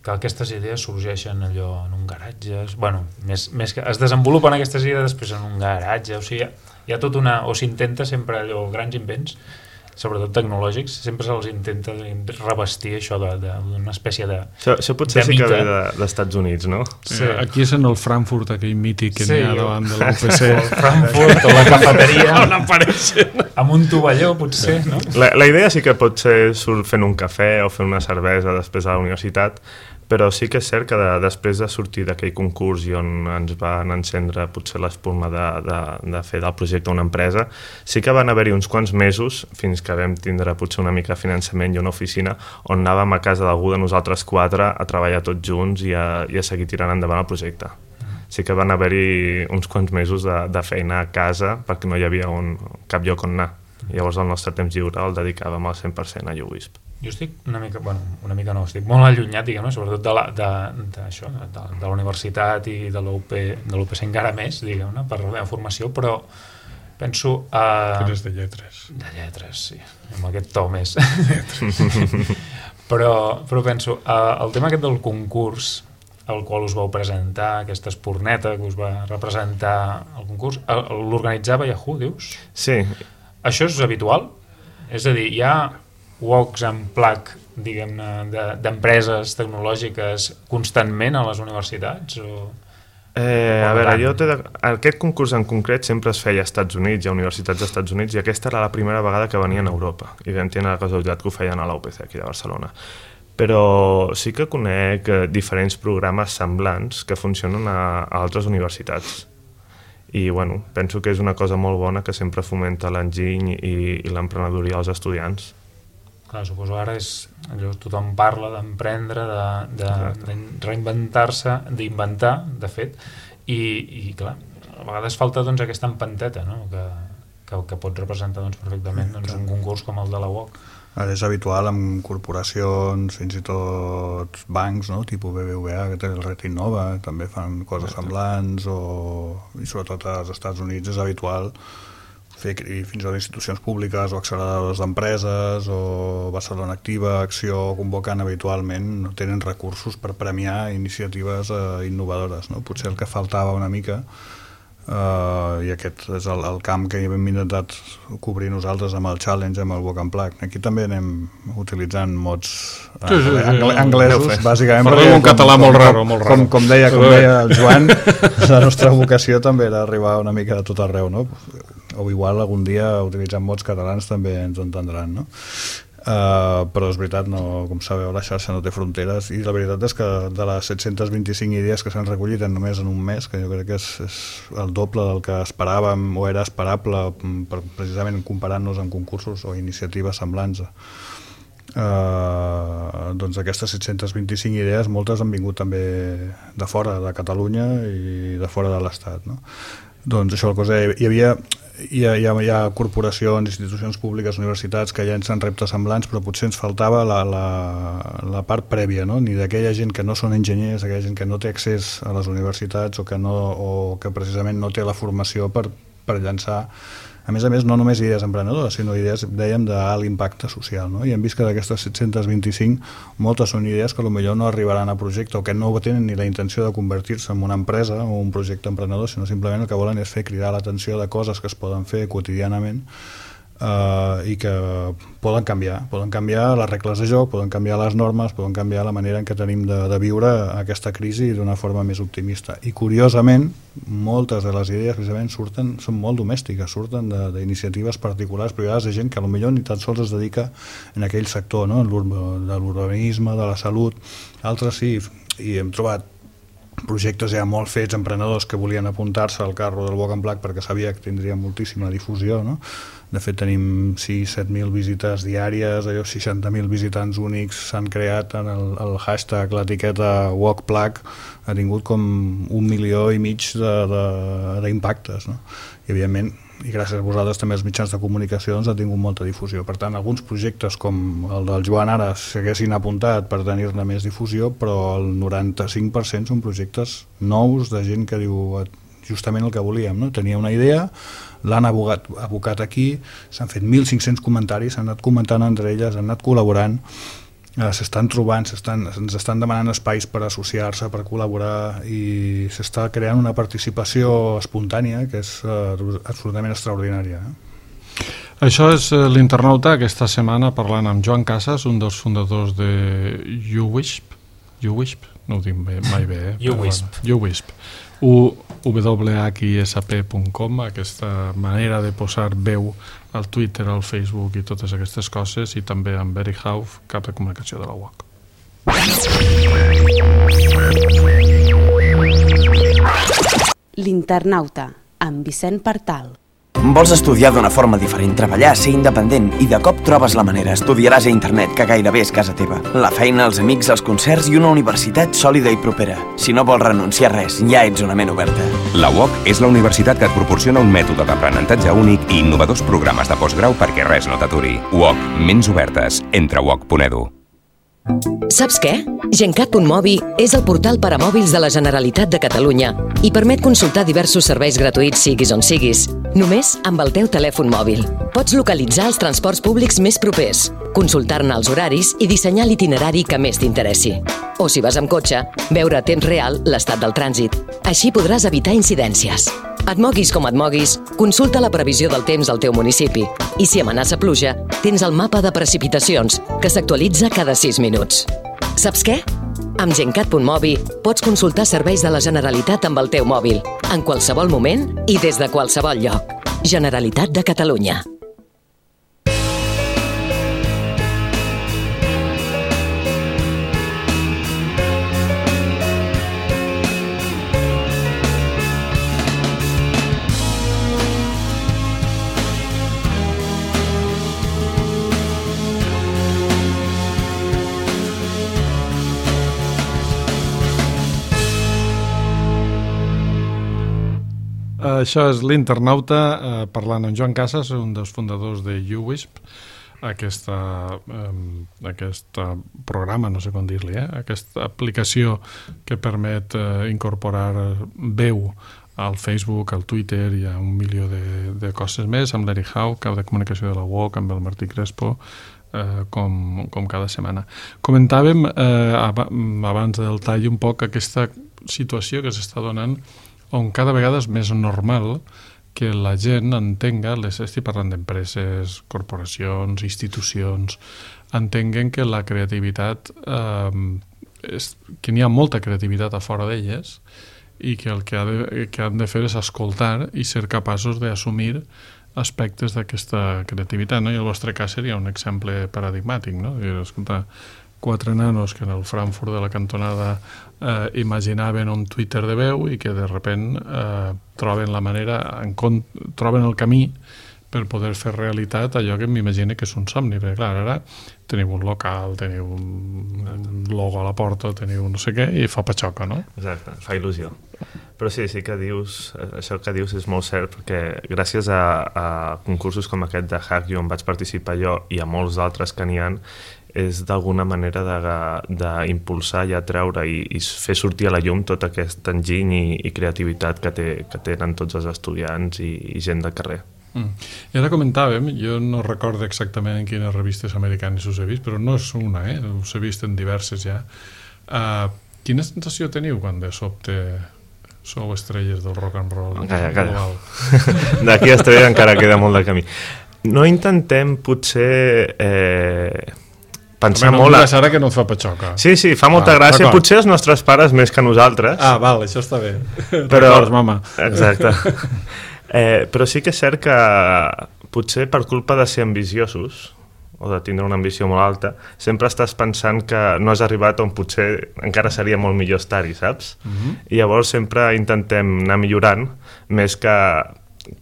que aquestes idees sorgeixen allò en un garatge... Bueno, més, més que es desenvolupen aquestes idees després en un garatge, o sigui, hi ha tot una... O s'intenta sempre allò, grans invents, sobretot tecnològics, sempre se'ls intenta revestir això d'una espècie de Això, això potser sí que ve d'Estats de, Units, no? Sí. Aquí és en el Frankfurt, aquell mític que sí, n'hi ha davant de l'U P C. El Frankfurt o la cafeteria on apareixen amb un tovalló, potser, no? La, la idea sí que pot ser fent un cafè o fent una cervesa després de la universitat, però sí que és cert que de, després de sortir d'aquell concurs i on ens van encendre potser l'espurna de, de, de fer del projecte una empresa, sí que van haver-hi uns quants mesos fins que vam tindre potser una mica de finançament i una oficina on anàvem a casa d'algú de nosaltres quatre a treballar tots junts i a, i a seguir tirant endavant el projecte. Sí que van haver-hi uns quants mesos de, de feina a casa perquè no hi havia un, cap lloc on anar. Llavors el nostre temps lliure el dedicàvem al cent per cent a YouWisp. Jo estic una mica, bueno, una mica no, estic molt allunyat, diguem-ne, sobretot de la, de, de, això, de, de la universitat i de l'U P C encara més, diguem-ne, per la meva formació, però penso... Uh, que eres de lletres. De lletres, sí, amb aquest to més. però, però penso, uh, el tema aquest del concurs al qual us vau presentar, aquesta espurneta que us va representar el concurs, l'organitzava Yahoo, dius? Sí. Això és habitual? És a dir, hi ha walks and plug, diguem-ne, d'empreses tecnològiques constantment a les universitats? O... Eh, a veure, jo de... aquest concurs en concret sempre es feia als Estats Units, hi ha universitats dels Estats Units, i aquesta era la primera vegada que venien a Europa, i vam tenir la casualitat que ho feien a la U P C aquí de Barcelona. Però sí que conec diferents programes semblants que funcionen a, a altres universitats. I bueno, penso que és una cosa molt bona que sempre fomenta l'enginy i, i l'emprenedoria als estudiants. Clar, suposo ara és allò, tothom parla d'emprendre, de, de, de reinventar-se, d'inventar, de fet, i, i clar, a vegades falta doncs, aquesta empanteta, no? que, que, que pot representar doncs, perfectament doncs, un concurs com el de la U O C. Ara és habitual amb corporacions, fins i tot bancs, no? Tipus B B V A, que té el Red Innova, també fan coses semblants, o, i sobretot als Estats Units és habitual fer fins i tot institucions públiques o acceleradors d'empreses o Barcelona Activa, Acció, convoquen habitualment, no tenen recursos per premiar iniciatives eh, innovadores, no? Potser el que faltava una mica, eh, i aquest és el, el camp que hem intentat cobrir nosaltres amb el challenge, amb el walk and plug. Aquí també anem utilitzant mots eh, sí, sí, sí, anglesos, anglesos bàsicament. Parlem un català molt raro, molt raro. Com, com, deia, com deia el Joan, la nostra vocació també era arribar una mica a tot arreu, no? O igual algun dia utilitzant mots catalans també ens entendran, no? Uh, però és veritat, no, com sabeu, la xarxa no té fronteres, i la veritat és que de les set-centes vint-i-cinc idees que s'han recollit en només en un mes, que jo crec que és, és el doble del que esperàvem o era esperable, per, precisament comparant-nos amb concursos o iniciatives semblants eh, doncs aquestes set-centes vint-i-cinc idees, moltes han vingut també de fora de Catalunya i de fora de l'Estat, no? Doncs això, la cosa, hi havia hi ha, hi ha, hi ha corporacions, institucions públiques, universitats que llancen reptes semblants, però potser ens faltava la, la, la part prèvia, no? Ni d'aquella gent que no són enginyers, aquella gent que no té accés a les universitats o que, no, o que precisament no té la formació per, per llançar, a més a més, no només idees emprenedores, sinó idees, dèiem, d'alt impacte social, no? I hem vist que d'aquestes set-centes vint-i-cinc, moltes són idees que potser no arribaran a projecte o que no tenen ni la intenció de convertir-se en una empresa o un projecte emprenedor, sinó simplement el que volen és fer cridar l'atenció de coses que es poden fer quotidianament Uh, i que poden canviar, poden canviar les regles de joc, poden canviar les normes, poden canviar la manera en què tenim de, de viure aquesta crisi d'una forma més optimista. I curiosament, moltes de les idees precisament surten, són molt domèstiques, surten d'iniciatives particulars privades de gent que potser ni tan sols es dedica en aquell sector, no? De l'urbanisme, de la salut, altres sí, i hem trobat projectes ja molt fets, emprenedors que volien apuntar-se al carro del Walk and Black perquè sabia que tindria moltíssima difusió, no? De fet tenim sis set mil visites diàries, allò seixanta mil visitants únics s'han creat en el, el hashtag, l'etiqueta Walk Black ha tingut com un milió i mig d'impactes, no? I evidentment, i gràcies a vosaltres també els mitjans de comunicació doncs, ha tingut molta difusió. Per tant, alguns projectes com el del Joan ara s'haguessin apuntat per tenir-ne més difusió, però el noranta-cinc per cent són projectes nous de gent que diu justament el que volíem, no? Tenia una idea, l'han abocat, abocat aquí, s'han fet mil cinc-cents comentaris, s'han anat comentant entre elles, han anat col·laborant, eh, s'estan trobant, ens estan demanant espais per associar-se, per col·laborar, i s'està creant una participació espontània que és eh, absolutament extraordinària. Eh? Això és eh, l'Internauta aquesta setmana parlant amb Joan Casas, un dels fundadors de UWISP, UWISP, no ho dic bé, mai bé, eh? UWISP. UWISP. u w h i s p punt com, aquesta manera de posar veu al Twitter, al Facebook i totes aquestes coses, i també amb Eric Hauf, cap de comunicació de la U O C. L'Internauta, amb Vicent Partal. Vols estudiar d'una forma diferent, treballar, ser independent i de cop trobes la manera, estudiaràs a internet, que gairebé és casa teva. La feina, els amics, els concerts i una universitat sòlida i propera. Si no vols renunciar a res, ja ets una ment oberta. La U O C és la universitat que et proporciona un mètode d'aprenentatge únic i innovadors programes de postgrau perquè res no t'aturi. U O C, ments obertes. Entra a u o c punt e d u. Saps què? Gencat punt mobi és el portal per a mòbils de la Generalitat de Catalunya i permet consultar diversos serveis gratuïts siguis on siguis, només amb el teu telèfon mòbil. Pots localitzar els transports públics més propers, consultar-ne els horaris i dissenyar l'itinerari que més t'interessi. O si vas amb cotxe, veure a temps real l'estat del trànsit. Així podràs evitar incidències. Et moguis com et moguis, consulta la previsió del temps al teu municipi. I si amenaça pluja, tens el mapa de precipitacions, que s'actualitza cada sis minuts. Saps què? Amb Gencat punt mobi pots consultar serveis de la Generalitat amb el teu mòbil, en qualsevol moment i des de qualsevol lloc. Generalitat de Catalunya. Això és l'Internauta, eh, parlant amb Joan Casas, un dels fundadors de UWISP, aquesta, eh, aquest programa, no sé com dir-li, eh, aquesta aplicació que permet eh, incorporar veu al Facebook, al Twitter i a un milió de, de coses més, amb l'Eric Hauf, cap de comunicació de la U O C, amb el Martí Crespo, eh, com, com cada setmana. Comentàvem eh, abans del tall un poc aquesta situació que s'està donant on cada vegada és més normal que la gent entenga, les estic parlant d'empreses, corporacions, institucions, entenguen que la creativitat, eh, és, que n'hi ha molta creativitat a fora d'elles i que el que, ha de, que han de fer és escoltar i ser capaços d'assumir aspectes d'aquesta creativitat, no? I el vostre cas seria un exemple paradigmàtic, no? I, escolta, quatre nanos que en el Frankfurt de la cantonada eh, imaginaven un Twitter de veu i que de repent eh, troben la manera, en, troben el camí per poder fer realitat allò que m'imagino que és un somni, perquè clar, ara teniu un local, teniu un logo a la porta, teniu no sé què, i fa patxoca, no? Exacte, fa il·lusió. Però sí, sí que dius, això que dius és molt cert, perquè gràcies a, a concursos com aquest de HackYou on vaig participar jo i a molts d'altres que n'hi ha, és d'alguna manera d'impulsar i atreure i, i fer sortir a la llum tot aquest enginy i, i creativitat que, té, que tenen tots els estudiants i, i gent de carrer. Mm. I ara comentàvem, jo no recordo exactament en quines revistes americanes us he vist, però no és una, eh? Us he vist en diverses ja. Uh, quina sensació teniu quan de sobte sou estrelles del rock and roll? Calla, calla. D'aquí a estrella encara queda molt de camí. No intentem, potser... Eh... pensar Home, no molt... No ara que no et fa patxoca. Sí, sí, fa molta ah, gràcia. Potser els nostres pares més que nosaltres. Ah, val, això està bé. Però... Records, mama. Exacte. Eh, però sí que és cert que potser per culpa de ser ambiciosos o de tindre una ambició molt alta, sempre estàs pensant que no has arribat on potser encara seria molt millor estar-hi, saps? Uh-huh. I llavors sempre intentem anar millorant més que...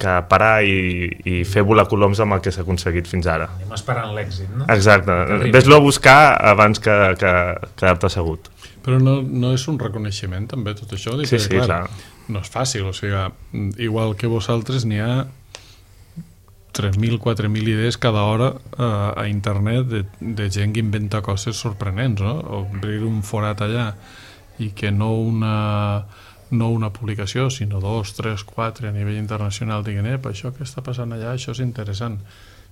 que parar i, i fer volar coloms amb el que s'ha aconseguit fins ara. Anem esperant l'èxit, no? Exacte. Ves-lo a buscar abans que, que quedar-te assegut. Però no, no és un reconeixement, també, tot això? Sí, sí, clar, clar. No és fàcil, o sigui, igual que vosaltres n'hi ha tres mil, quatre mil idees cada hora uh, a internet de, de gent que inventa coses sorprenents, no? Obrir un forat allà i que no una... no una publicació, sinó dos, tres, quatre a nivell internacional, diguin, eh, això que està passant allà, això és interessant.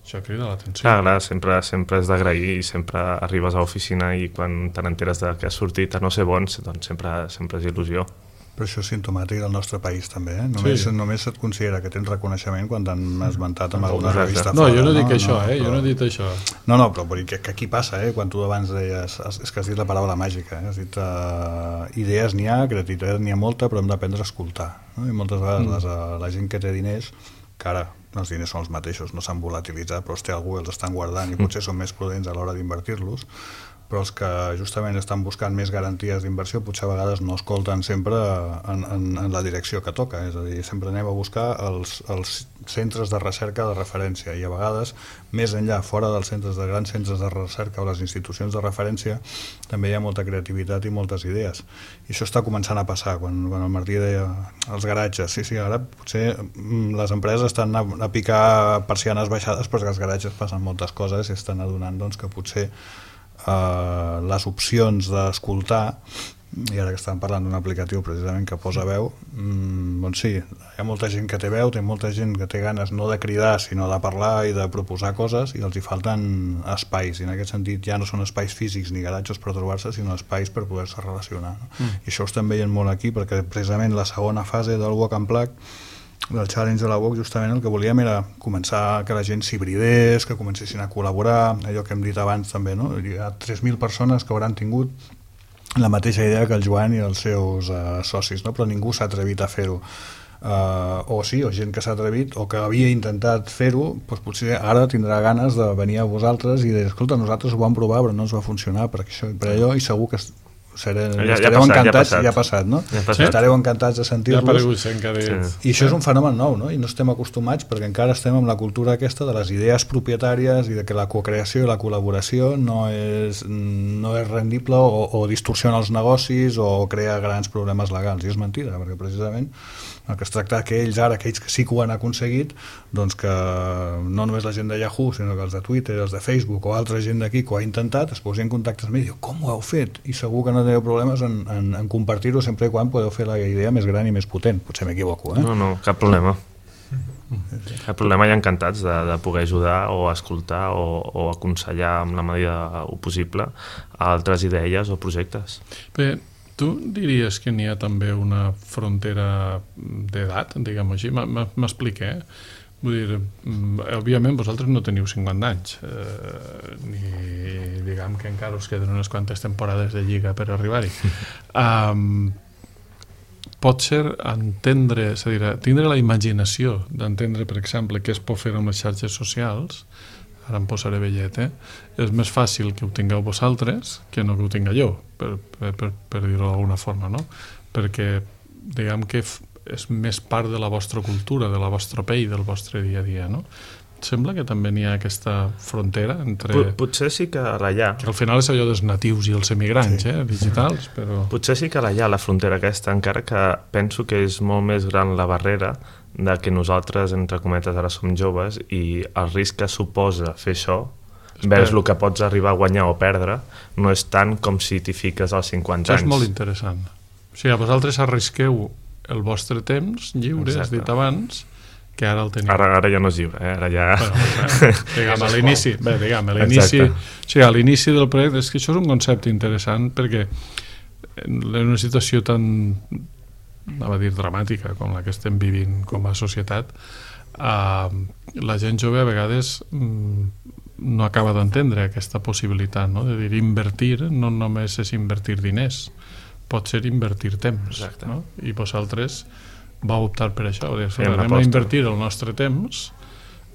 Això crida l'atenció. Clar, clar, sempre, sempre és d'agrair i sempre arribes a l'oficina i quan te n'enteres que has sortit a no ser bons, doncs sempre, sempre és il·lusió. Però això és simptomàtic del nostre país també, eh? Només, sí. només et considera que tens reconeixement quan t'han esmentat amb alguna revista. No, fora, jo no dic no? això, no, eh? Però... Jo no he dit això. No, no, però que, que aquí passa, eh? Quan tu abans deies... És que has dit la paraula màgica, eh? Has dit uh, idees n'hi ha, creativitat n'hi ha molta, però hem d'aprendre a escoltar. No? I moltes vegades mm. les, uh, la gent que té diners, que ara els diners són els mateixos, no s'han volatilitzat, però hòstia, algú els estan guardant i potser són més prudents a l'hora d'invertir-los, però els que justament estan buscant més garanties d'inversió potser a vegades no escolten sempre en, en, en la direcció que toca, és a dir, sempre anem a buscar els, els centres de recerca de referència i a vegades més enllà, fora dels centres de grans centres de recerca o les institucions de referència també hi ha molta creativitat i moltes idees i això està començant a passar quan, quan el Martí deia els garatges, sí, sí, ara potser les empreses estan a, a picar persianes baixades perquè als garatges passen moltes coses i estan adonant doncs, que potser Uh, les opcions d'escoltar i ara que estàvem parlant d'un aplicatiu precisament que posa veu mmm, doncs sí, hi ha molta gent que té veu té molta gent que té ganes no de cridar sinó de parlar i de proposar coses i els hi falten espais i en aquest sentit ja no són espais físics ni garatges per trobar-se sinó espais per poder-se relacionar no? mm. I això ho estem veient molt aquí perquè precisament la segona fase del Walk and Plug del challenge de la U O C justament el que volíem era començar que la gent s'hibridés, que comencessin a col·laborar, allò que hem dit abans també, no? Hi ha tres mil persones que hauran tingut la mateixa idea que el Joan i els seus uh, socis, no? Però ningú s'ha atrevit a fer-ho. Uh, o sí, o gent que s'ha atrevit o que havia intentat fer-ho, doncs potser ara tindrà ganes de venir a vosaltres i dir, escolta, nosaltres ho vam provar però no ens va funcionar per, això, per allò i segur que Seré, ja, ja estareu passat, encantats, ja, ja ha passat, no? Ja ha passat. Estareu encantats de sentir-los. Ja sí. I això és un fenomen nou, no? I no estem acostumats perquè encara estem amb la cultura aquesta de les idees propietàries i de que la cocreació i la col·laboració no és, no és rendible o, o distorsiona els negocis o crea grans problemes legals. I és mentida, perquè precisament el que es tracta que ells ara, aquells que sí que ho han aconseguit, doncs que no només la gent de Yahoo, sinó que els de Twitter, els de Facebook o altra gent d'aquí que ho ha intentat, es posi en contacte amb mi i diu, com ho heu fet? I segur que no teniu problemes en, en, en compartir-ho sempre i quan podeu fer la idea més gran i més potent. Potser m'equivoco, eh? No, no, cap problema. Cap problema, i encantats de, de poder ajudar o escoltar o, o aconsellar amb la medida possible a altres idees o projectes. Bé, tu diries que n'hi ha també una frontera d'edat, diguem-ho així? M'expliqué, eh? Vull dir, òbviament vosaltres no teniu cinquanta anys, eh, ni diguem que encara us queden unes quantes temporades de lliga per arribar-hi. Um, pot ser entendre, és a dir, tindre la imaginació d'entendre, per exemple, què es pot fer amb les xarxes socials, ara em posaré vellet, eh? És més fàcil que ho tingueu vosaltres que no que ho tinga jo, per, per, per, per dir-ho d'alguna forma, no? Perquè, diguem que és més part de la vostra cultura, de la vostra pell, del vostre dia a dia, no? sembla que també n'hi ha aquesta frontera entre... Pot, potser sí que la hi ha. Que al final és allò dels natius i els emigrants, sí. eh, digitals, però... Potser sí que la hi ha, la frontera aquesta, encara que penso que és molt més gran la barrera de que nosaltres, entre cometes, ara som joves i el risc que suposa fer això, vers el que pots arribar a guanyar o perdre, no és tant com si t'hi fiques als cinquanta anys. Això és molt interessant. O sigui, vosaltres arrisqueu el vostre temps lliure, has dit abans, que ara el teniu. Ara, ara ja no és lliure, eh? Ara ja... Bueno, diguem, a l'inici, bé, diguem, a l'inici, o sigui, a l'inici del projecte, és que això és un concepte interessant perquè en una situació tan, anava a dir, dramàtica com la que estem vivint com a societat, eh, la gent jove a vegades mm, no acaba d'entendre aquesta possibilitat, no? De dir, invertir no només és invertir diners, pot ser invertir temps. No? I vosaltres va optar per això, dir, sí, anem a invertir el nostre temps,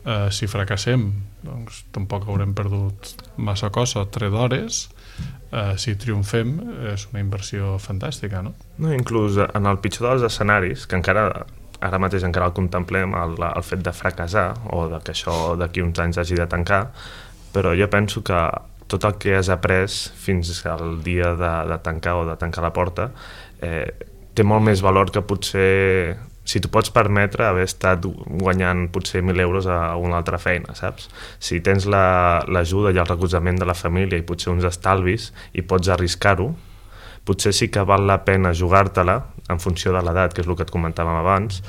eh, si fracassem doncs tampoc haurem perdut massa cosa, tres hores, eh, si triomfem és una inversió fantàstica, no? No, inclús en el pitjor dels escenaris, que encara ara mateix encara el contemplem, el, el fet de fracassar o de que això d'aquí uns anys hagi de tancar, però jo penso que tot el que has après fins al dia de, de tancar o de tancar la porta eh, té molt més valor que potser, si tu pots permetre haver estat guanyant potser mil euros a una altra feina, saps? Si tens l'ajuda i el recolzament de la família i potser uns estalvis i pots arriscar-ho, potser sí que val la pena jugar-te-la en funció de l'edat, que és el que et comentàvem abans,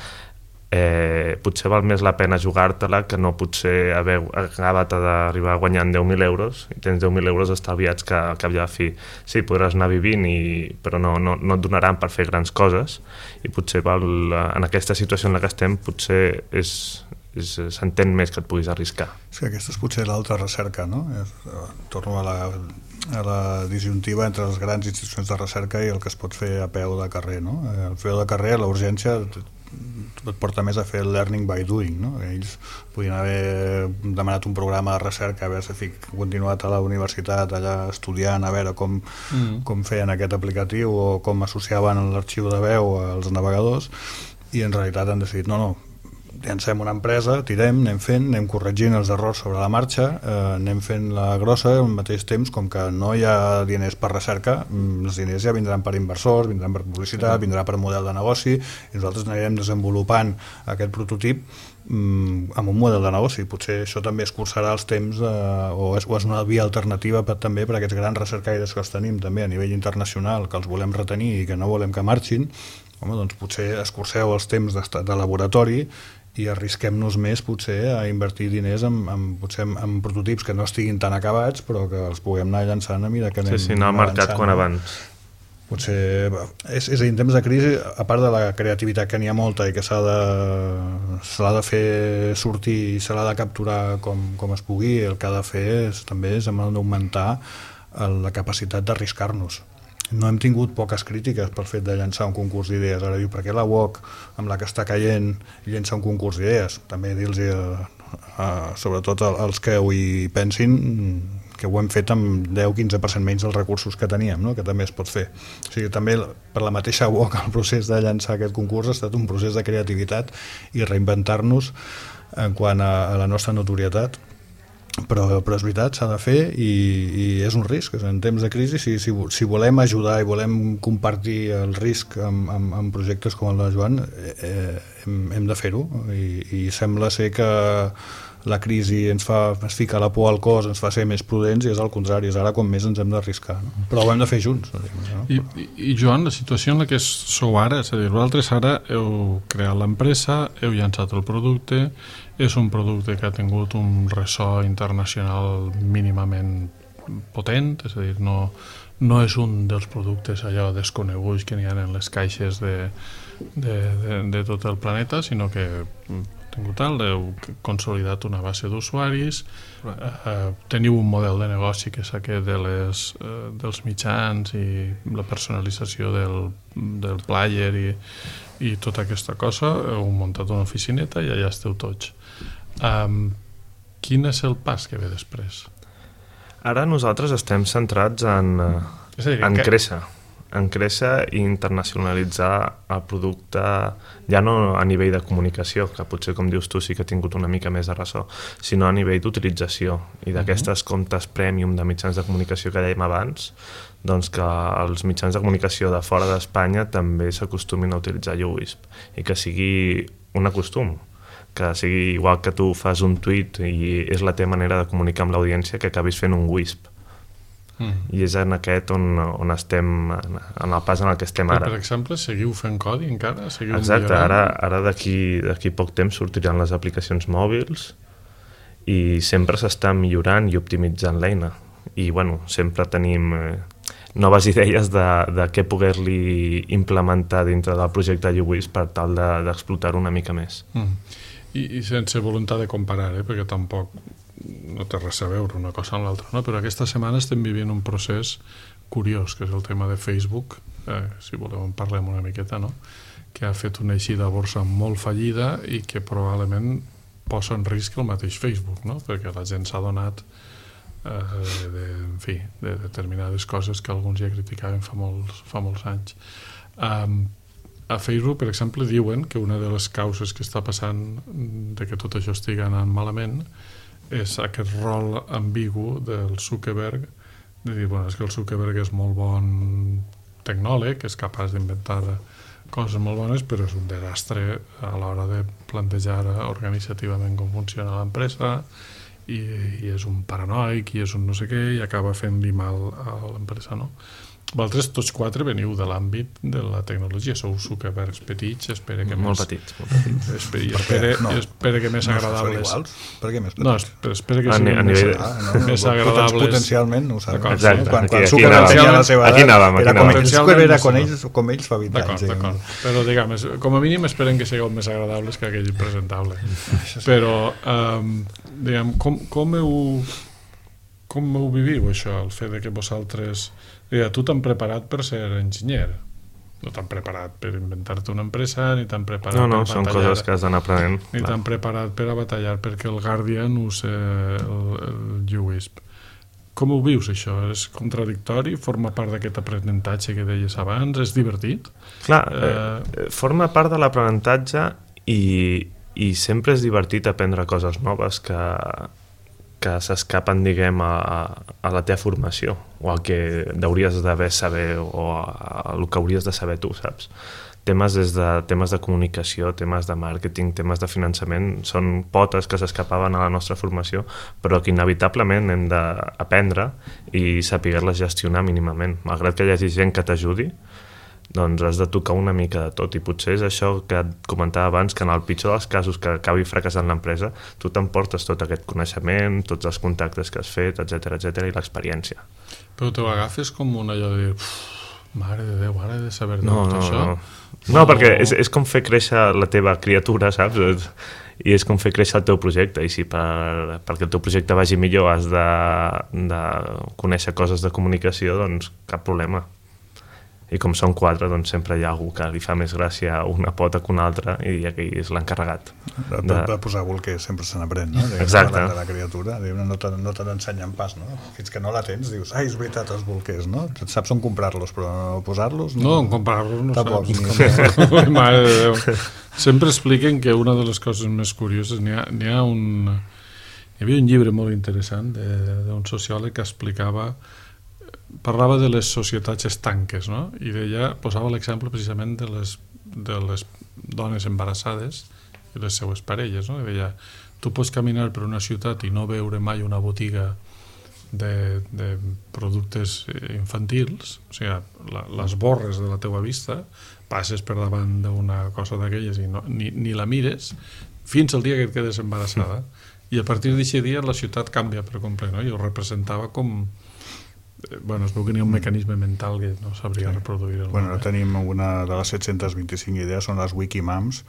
eh, potser val més la pena jugar-te-la que no potser haver acabat d'arribar guanyant deu mil euros i tens deu mil euros estalviats que al cap i a la fi sí, podràs anar vivint i, però no, no, no et donaran per fer grans coses i potser val, en aquesta situació en la que estem potser és, és, s'entén més que et puguis arriscar. Sí, aquesta és potser l'altra recerca, no? És, torno a la, a la disjuntiva entre les grans institucions de recerca i el que es pot fer a peu de carrer, no? El peu de carrer, la urgència et porta més a fer el learning by doing, no? Ells podien haver demanat un programa de recerca, haver-se continuat a la universitat allà estudiant, a veure com, mm. com feien aquest aplicatiu o com associaven l'arxiu de veu als navegadors, i en realitat han decidit, no, no, llancem una empresa, tirem, anem fent, anem corregint els errors sobre la marxa, eh, anem fent la grossa al mateix temps, com que no hi ha diners per recerca, els diners ja vindran per inversors, vindran per publicitat, sí. vindrà per model de negoci, i nosaltres anirem desenvolupant aquest prototip mm, amb un model de negoci. Potser això també escurçarà els temps, eh, o, és, o és una via alternativa per, també per a aquests grans recercaires que els tenim també a nivell internacional, que els volem retenir i que no volem que marxin. Home, doncs potser escurceu els temps de, de laboratori i arrisquem-nos més potser a invertir diners en, en, potser en, en prototips que no estiguin tan acabats però que els puguem anar llançant a mesura que anem sí, sí, anar al mercat quan abans. Potser és, és a dir, en temps de crisi, a part de la creativitat que n'hi ha molta i que s'ha de, se l'ha de fer sortir i se l'ha de capturar com, com es pugui, el que ha de fer és, també és hem d'augmentar la capacitat d'arriscar-nos. No hem tingut poques crítiques pel fet de llançar un concurs d'idees. Ara diu, per què la U O C, amb la que està caient, llença un concurs d'idees? També dir-los, eh, eh, sobretot als que ho hi pensin, que ho hem fet amb deu a quinze per cent menys dels recursos que teníem, no? Que també es pot fer. O sigui, també per la mateixa U O C el procés de llançar aquest concurs ha estat un procés de creativitat i reinventar-nos en quant a, a la nostra notorietat. Però, però és veritat, s'ha de fer i, i és un risc. En temps de crisi, si, si, si volem ajudar i volem compartir el risc amb, amb, amb projectes com el de Joan, eh, hem, hem de fer-ho. I, I sembla ser que la crisi ens fa, ens fica la por al cos, ens fa ser més prudents, i és al contrari, és ara com més ens hem d'arriscar. No? Però ho hem de fer junts. No? I, i, I Joan, la situació en la que sou ara, és a dir, vosaltres ara heu creat l'empresa, heu llançat el producte, és un producte que ha tingut un ressò internacional mínimament potent, és a dir, no, no és un dels productes allò desconeguts que n'hi ha en les caixes de, de, de, de tot el planeta, sinó que tingut tal, heu consolidat una base d'usuaris, eh, teniu un model de negoci que és aquest de les, eh, dels mitjans i la personalització del, del player i, i tota aquesta cosa, heu muntat una oficineta i allà esteu tots. Um, quin és el pas que ve després? Ara nosaltres estem centrats en, és a dir, en que... créixer. en créixer i internacionalitzar el producte, ja no a nivell de comunicació, que potser, com dius tu, sí que ha tingut una mica més de ressò, sinó a nivell d'utilització i d'aquestes comptes premium de mitjans de comunicació que dèiem abans, doncs que els mitjans de comunicació de fora d'Espanya també s'acostumin a utilitzar YouWisp i que sigui un acostum, que sigui igual que tu fas un tuit i és la teva manera de comunicar amb l'audiència, que acabis fent un Wisp. Mm. I és en aquest on, on estem, en el pas en el que estem ara. Per exemple, seguiu fent codi encara? Seguiu Exacte, millorant? ara, ara d'aquí d'aquí poc temps sortiran les aplicacions mòbils i sempre s'està millorant i optimitzant l'eina. I bueno, sempre tenim eh, noves idees de, de què poder-li implementar dintre del projecte YouWisp per tal de, d'explotar-ho una mica més. Mm. I, I sense voluntat de comparar, eh? Perquè tampoc no té res a veure una cosa amb l'altra, no? Però aquesta setmana estem vivint un procés curiós, que és el tema de Facebook, eh, si voleu en parlem una miqueta, no? Que ha fet una eixida a borsa molt fallida i que probablement posa en risc el mateix Facebook, no? Perquè la gent s'ha donat eh, de, en fi, de determinades coses que alguns ja criticaven fa molts, fa molts anys. Um, a Facebook, per exemple, diuen que una de les causes que està passant de que tot això estigui anant malament és aquest rol ambigu del Zuckerberg, de dir, bueno, és que el Zuckerberg és molt bon tecnòleg, és capaç d'inventar coses molt bones, però és un desastre a l'hora de plantejar organitzativament com funciona l'empresa, i, i és un paranoic, i és un no sé què, i acaba fent-li mal a l'empresa, no? Vosaltres tots quatre veniu de l'àmbit de la tecnologia, sou Zuckerbergs petits, espera que molt més... petits, molt petits. Espera, espera, no. espera que més no, agradables... No per què més petits? No, espera, espera que a siguin més, nivell... ah, no, més no, agradables... Potencialment, no ho sabem. Exacte, no? Quan, aquí, quan aquí Zuckerberg tenia la seva aquí edat, anàvem, era aquí com, anàvem. Zuckerberg era com no. ells, com ells fa vint d'acord, anys. D'acord, eh? Però diguem, com a mínim esperen que sigueu més agradables que aquell impresentable. Però, um, diguem, com, com heu... Com heu viviu això, el fet de que vosaltres... Digue, tu t'han preparat per ser enginyer, no t'han preparat per inventar-te una empresa, ni t'han preparat no, no, per són batallar, coses que has d'anar aprenent. ni t'han preparat per a batallar perquè el Guardian use el, el YouWisp. Com ho vius, això? És contradictori? Forma part d'aquest aprenentatge que deies abans? És divertit? Clar, eh, forma part de l'aprenentatge i, i sempre és divertit aprendre coses noves que... que s'escapen, diguem, a, a la teva formació o al que hauries d'haver saber o a, a el que hauries de saber tu, saps? Temes des de temes de comunicació, temes de màrqueting, temes de finançament, són potes que s'escapaven a la nostra formació, però que inevitablement hem d'aprendre i saber-les gestionar mínimament. Malgrat que hi hagi gent que t'ajudi, doncs has de tocar una mica de tot, i potser és això que et comentava abans, que en el pitjor dels casos que acabi fracassant l'empresa, tu t'emportes tot aquest coneixement, tots els contactes que has fet, etcètera, etcètera, i l'experiència. Però te ho agafes com un allò de dir, mare de Déu, ara he de saber no, tot no, això? No, no, no perquè és, és com fer créixer la teva criatura, saps? I és com fer créixer el teu projecte, i si per, perquè el teu projecte vagi millor has de, de conèixer coses de comunicació, doncs cap problema. I com són quatre, doncs sempre hi ha algú que li fa més gràcia una pota que una altra, i aquí és l'encarregat. De, de, de posar bolquers sempre se n'aprèn, no? De, exacte. De la criatura, no te, no te n'ensenyen pas, no? Fins que no la tens, dius, ai, és veritat, els bolquers, no? Saps on comprar-los, però no posar-los... No, no comprar-los no tampoc, saps. Ni... Mare de Déu. Sempre expliquen que una de les coses més curioses, n'hi ha, n'hi ha un... Hi havia un llibre molt interessant d'un sociòleg que explicava, parlava de les societats estanques, no? I deia, posava l'exemple precisament de les, de les dones embarassades i les seues parelles, no? I deia, tu pots caminar per una ciutat i no veure mai una botiga de, de productes infantils, o sigui, la, les borres de la teua vista, passes per davant d'una cosa d'aquelles i no, ni, ni la mires fins al dia que et quedes embarassada, i a partir d'aquest dia la ciutat canvia per complet, no? I ho representava com... Bueno, es veu que n'hi ha un mecanisme mental que no sabria reproduir el bueno, ara tenim una de les set-centes vint-i-cinc idees, són les Wikimams,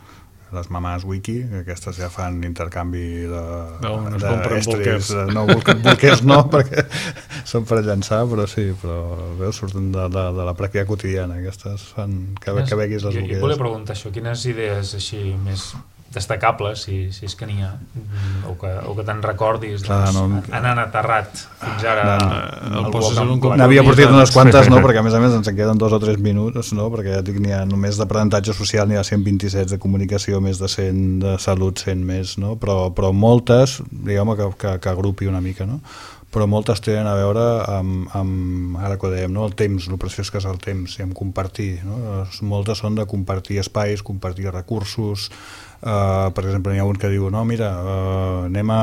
les mamàs wiki, que aquestes ja fan intercanvi de, no, no es de compren bolquers. No, bolquers no, perquè són per llançar, però sí, però veus, surten de, de, de la pràctica quotidiana, aquestes fan que, que veguis les bolquers. I volia preguntar això, quines idees així més destacables, si, si és que n'hi ha, o que, o que te'n recordis, Clar, doncs, no, han aterrat fins ara. El poses en un compromís. N'havia portat unes quantes, no? Perquè a més a més ens en queden dos o tres minuts, no? Perquè ja dic, n'hi ha només d'aprenentatge social, n'hi ha cent vint-i-set de comunicació, més de cent de salut, cent més, no? Però, però moltes, diguem que, que, que agrupi una mica, no? Però moltes tenen a veure amb, amb ara que ho dèiem, no? El temps, el preciós que és el temps, i amb compartir, no? Moltes són de compartir espais, compartir recursos. Uh, per exemple, hi ha un que diu no, mira, uh, anem a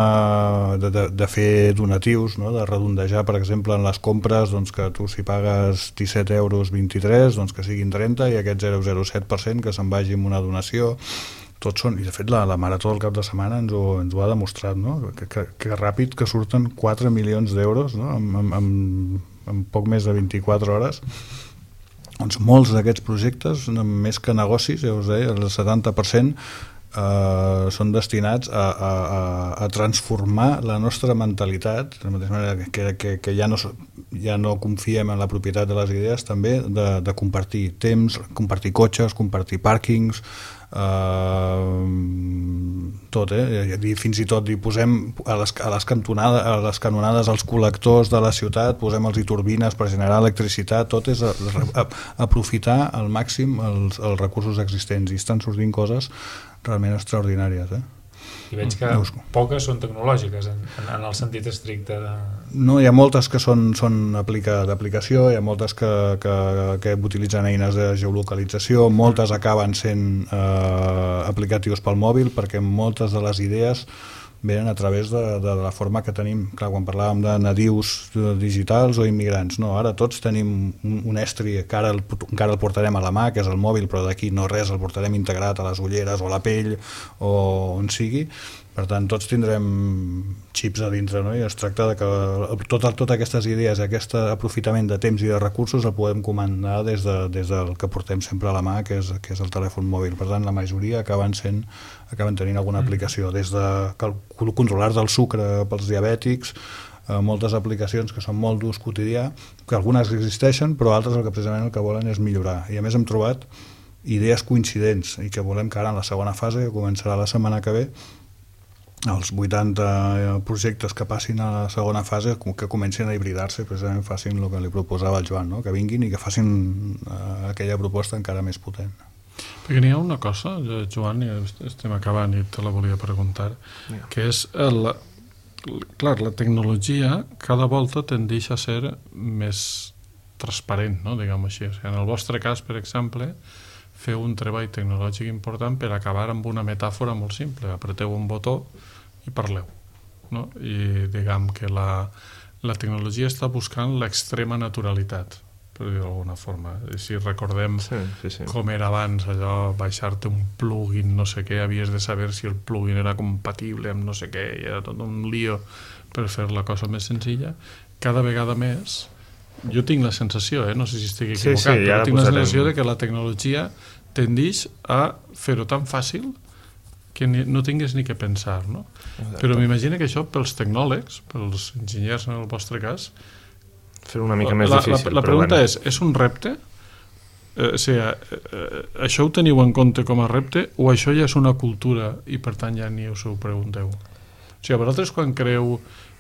de, de, de fer donatius, no? De redondejar, per exemple, en les compres, doncs, que tu si pagues disset euros vint-i-tres, doncs que siguin trenta, i aquest zero coma zero set per cent que se'n vagi amb una donació. Tots són, i de fet la, la Marató del cap de setmana ens ho, ens ho ha demostrat, no? que, que, que ràpid que surten quatre milions d'euros, no? en, en, en, en poc més de vint-i-quatre hores. Doncs molts d'aquests projectes, més que negocis, ja us deia, el setanta per cent Uh, són destinats a, a, a transformar la nostra mentalitat, de la mateixa manera que, que, que ja, no, ja no confiem en la propietat de les idees, també de, de compartir temps, compartir cotxes, compartir pàrquings, uh, tot, eh? I fins i tot hi posem a les, a, les cantonades, a les canonades els col·lectors de la ciutat, posem els i turbines per generar electricitat, tot és a, a, aprofitar al màxim els, els recursos existents, i estan sortint coses realment extraordinàries, eh? I veig que poques són tecnològiques en, en, en el sentit estricte de... No, hi ha moltes que són, són aplica, d'aplicació, hi ha moltes que, que, que utilitzen eines de geolocalització, moltes acaben sent eh, aplicatius pel mòbil, perquè moltes de les idees venen a través de, de la forma que tenim. Clar, quan parlàvem de nadius digitals o immigrants, no, ara tots tenim un, un estri que ara el, encara el portarem a la mà, que és el mòbil, però d'aquí no res, el portarem integrat a les ulleres o a la pell o on sigui. Per tant, tots tindrem xips a dintre, no? I es tracta de que totes tot aquestes idees, aquest aprofitament de temps i de recursos el podem comandar des, de, des del que portem sempre a la mà, que és, que és el telèfon mòbil. Per tant, la majoria acaben, sent, acaben tenint alguna aplicació, des de controlar del sucre pels diabètics, eh, moltes aplicacions que són molt d'ús quotidià, que algunes existeixen, però altres el que precisament el que volen és millorar. I a més hem trobat idees coincidents i que volem que ara en la segona fase, que començarà la setmana que ve, els vuitanta projectes que passin a la segona fase que comencin a hibridar-se, precisament facin el que li proposava el Joan, no? Que vinguin i que facin uh, aquella proposta encara més potent. Perquè n'hi ha una cosa, Joan, i estem acabant i te la volia preguntar, yeah. que és el, clar, la tecnologia cada volta tendeix a ser més transparent, no? Diguem així. O sigui, en el vostre cas, per exemple, feu un treball tecnològic important per acabar amb una metàfora molt simple. Apreteu un botó i parleu, no? I diguem que la, la tecnologia està buscant l'extrema naturalitat, per dir d'alguna forma. I si recordem sí, sí, sí. com era abans allò, baixar-te un plugin, no sé què, havies de saber si el plugin era compatible amb no sé què, i era tot un lío per fer la cosa més senzilla. Cada vegada més, jo tinc la sensació, eh? No sé si estic equivocat, sí, sí, però tinc la sensació de que la tecnologia tendeix a fer-ho tan fàcil que ni, no tingues ni que pensar, no? Exacte. Però m'imagino que això pels tecnòlegs, pels enginyers en el vostre cas, fer una mica més la, difícil. La, la pregunta bueno. és, és un repte? Eh, o sigui, eh, això ho teniu en compte com a repte o això ja és una cultura i per tant ja ni us ho pregunteu? O sigui, vosaltres quan creeu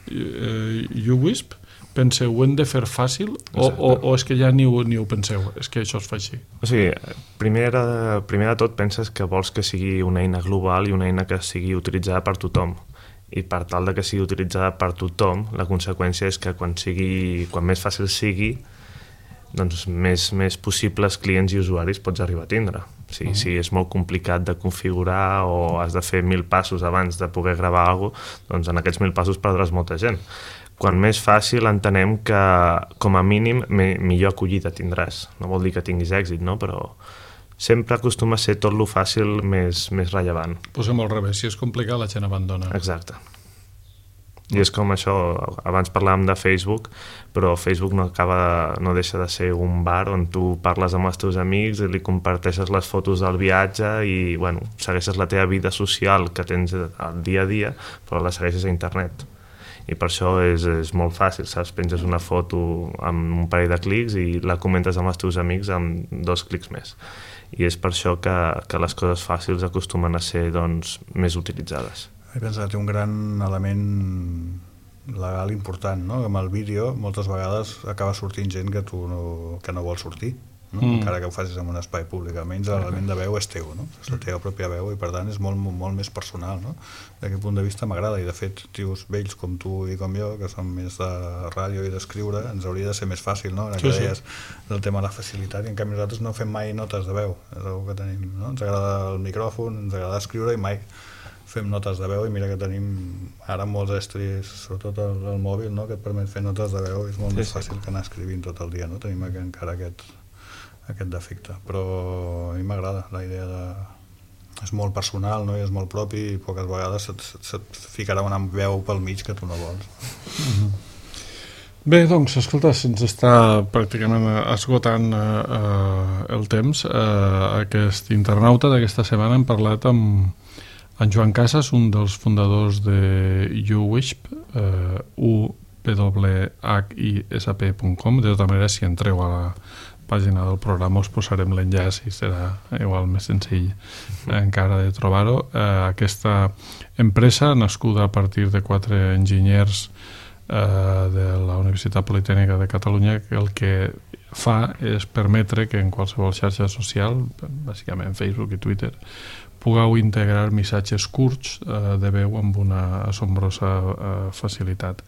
eh, UWISP penseu, ho hem de fer fàcil o, o, o és que ja ni ho, ni ho penseu, és que això es fa així? O sigui, primer de, primer de tot penses que vols que sigui una eina global i una eina que sigui utilitzada per tothom. I per tal de que sigui utilitzada per tothom, la conseqüència és que quan, sigui, quan més fàcil sigui, doncs més, més possibles clients i usuaris pots arribar a tindre. O sigui, uh-huh. Si és molt complicat de configurar o has de fer mil passos abans de poder gravar alguna cosa, doncs en aquests mil passos perdràs molta gent. Quan més fàcil entenem que, com a mínim, me, millor acollida tindràs. No vol dir que tinguis èxit, no? Però sempre acostuma a ser tot lo fàcil més, més rellevant. Posem al revés, si és complicat la gent abandona. Exacte. I és com això, abans parlàvem de Facebook, però Facebook no, acaba, no deixa de ser un bar on tu parles amb els teus amics i li comparteixes les fotos del viatge i, bueno, segueixes la teva vida social que tens al dia a dia, però la segueixes a internet. i per això és, és molt fàcil, saps? Penges una foto amb un parell de clics i la comentes amb els teus amics amb dos clics més. I és per això que, que les coses fàcils acostumen a ser doncs, més utilitzades. He pensat que té un gran element legal important, no? Amb el vídeo moltes vegades acaba sortint gent que tu no, que no vol sortir, no? Mm. Encara que ho facis en un espai públic, almenys l'element de veu és teu, no? És la teva pròpia veu i per tant és molt, molt, molt més personal, no? D'aquest punt de vista m'agrada i de fet tios vells com tu i com jo, que som més de ràdio i d'escriure, ens hauria de ser més fàcil, no? Ara que sí, deies sí. del tema de la facilitat, i en canvi nosaltres no fem mai notes de veu, és una que tenim, no? Ens agrada el micròfon, ens agrada escriure i mai fem notes de veu i mira que tenim ara molts estris, sobretot el, el mòbil, no? Que et permet fer notes de veu, és molt sí, més fàcil sí. que anar escrivint tot el dia, no? Tenim encara aquest, aquest defecte, però a mi m'agrada la idea de... és molt personal, no? I és molt propi i poques vegades se't, se't ficarà una veu pel mig que tu no vols. Mm-hmm. Bé, doncs, escolta, se'ns està pràcticament esgotant eh, el temps. Eh, aquest internauta d'aquesta setmana hem parlat amb en Joan Casas, un dels fundadors de uwisp, eh, u w h i s p punt com. De tota manera, si entreu a la pàgina del programa us posarem l'enllaç i serà igual més senzill eh, encara de trobar-ho. Eh, aquesta empresa, nascuda a partir de quatre enginyers eh, de la Universitat Politècnica de Catalunya, que el que fa és permetre que en qualsevol xarxa social, bàsicament Facebook i Twitter, pugueu integrar missatges curts eh, de veu amb una assombrosa eh, facilitat.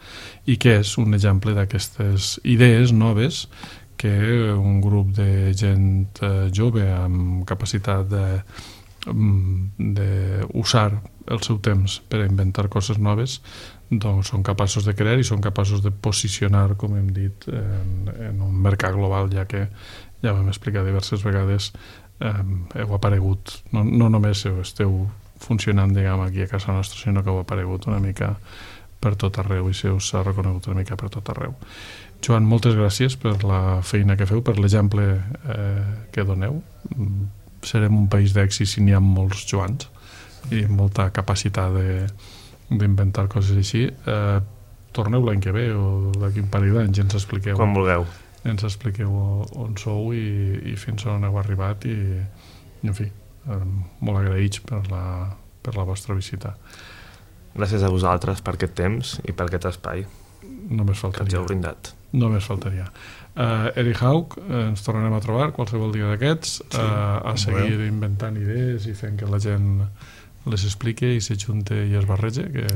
I que és un exemple d'aquestes idees noves que un grup de gent eh, jove amb capacitat de, de usar el seu temps per a inventar coses noves doncs són capaços de crear i són capaços de posicionar, com hem dit, en, en un mercat global, ja que ja vam explicar diverses vegades Um, heu aparegut, no, no només esteu funcionant, diguem, aquí a casa nostra, sinó que heu aparegut una mica per tot arreu i se us ha reconegut una mica per tot arreu. Joan, moltes gràcies per la feina que feu, per l'exemple eh, que doneu. Serem un país d'èxit si n'hi ha molts Joans i molta capacitat de, d'inventar coses així. Eh, torneu l'any que ve o d'aquí un parell d'anys ens expliqueu. Quan vulgueu. Ens expliqueu on sou i, i fins on heu arribat i, en fi, eh, molt agraïts per la, per la vostra visita. Gràcies a vosaltres per aquest temps i per aquest espai Només faltaria. que ens heu brindat. Només faltaria. Uh, Eric Haug, uh, ens tornarem a trobar qualsevol dia d'aquests, sí, uh, a seguir bé. inventant idees i fent que la gent les explique i s'ajunte i es barrege, que...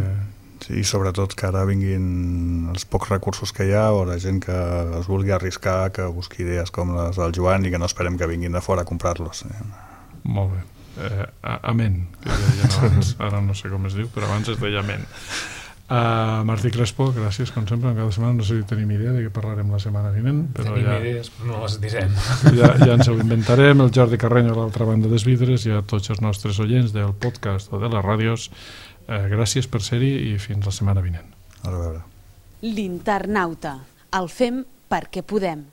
Sí, i sobretot que ara vinguin els pocs recursos que hi ha o la gent que es vulgui arriscar, que busqui idees com les del Joan i que no esperem que vinguin de fora a comprar-los. Molt bé. Eh, amén, que deien abans. Ara no sé com es diu, però abans es deia amén. Uh, Martí Crespo, gràcies, com sempre, en cada setmana. No sé si tenim idea de què parlarem la setmana vinent, però tenim ja... idees, però no les direm. Ja, ja ens ho inventarem. El Jordi Carreño a l'altra banda dels vidres i a tots els nostres oients del podcast o de les ràdios. Eh, gràcies per ser-hi i fins la setmana vinent. A veure. L'Internauta. El fem perquè podem.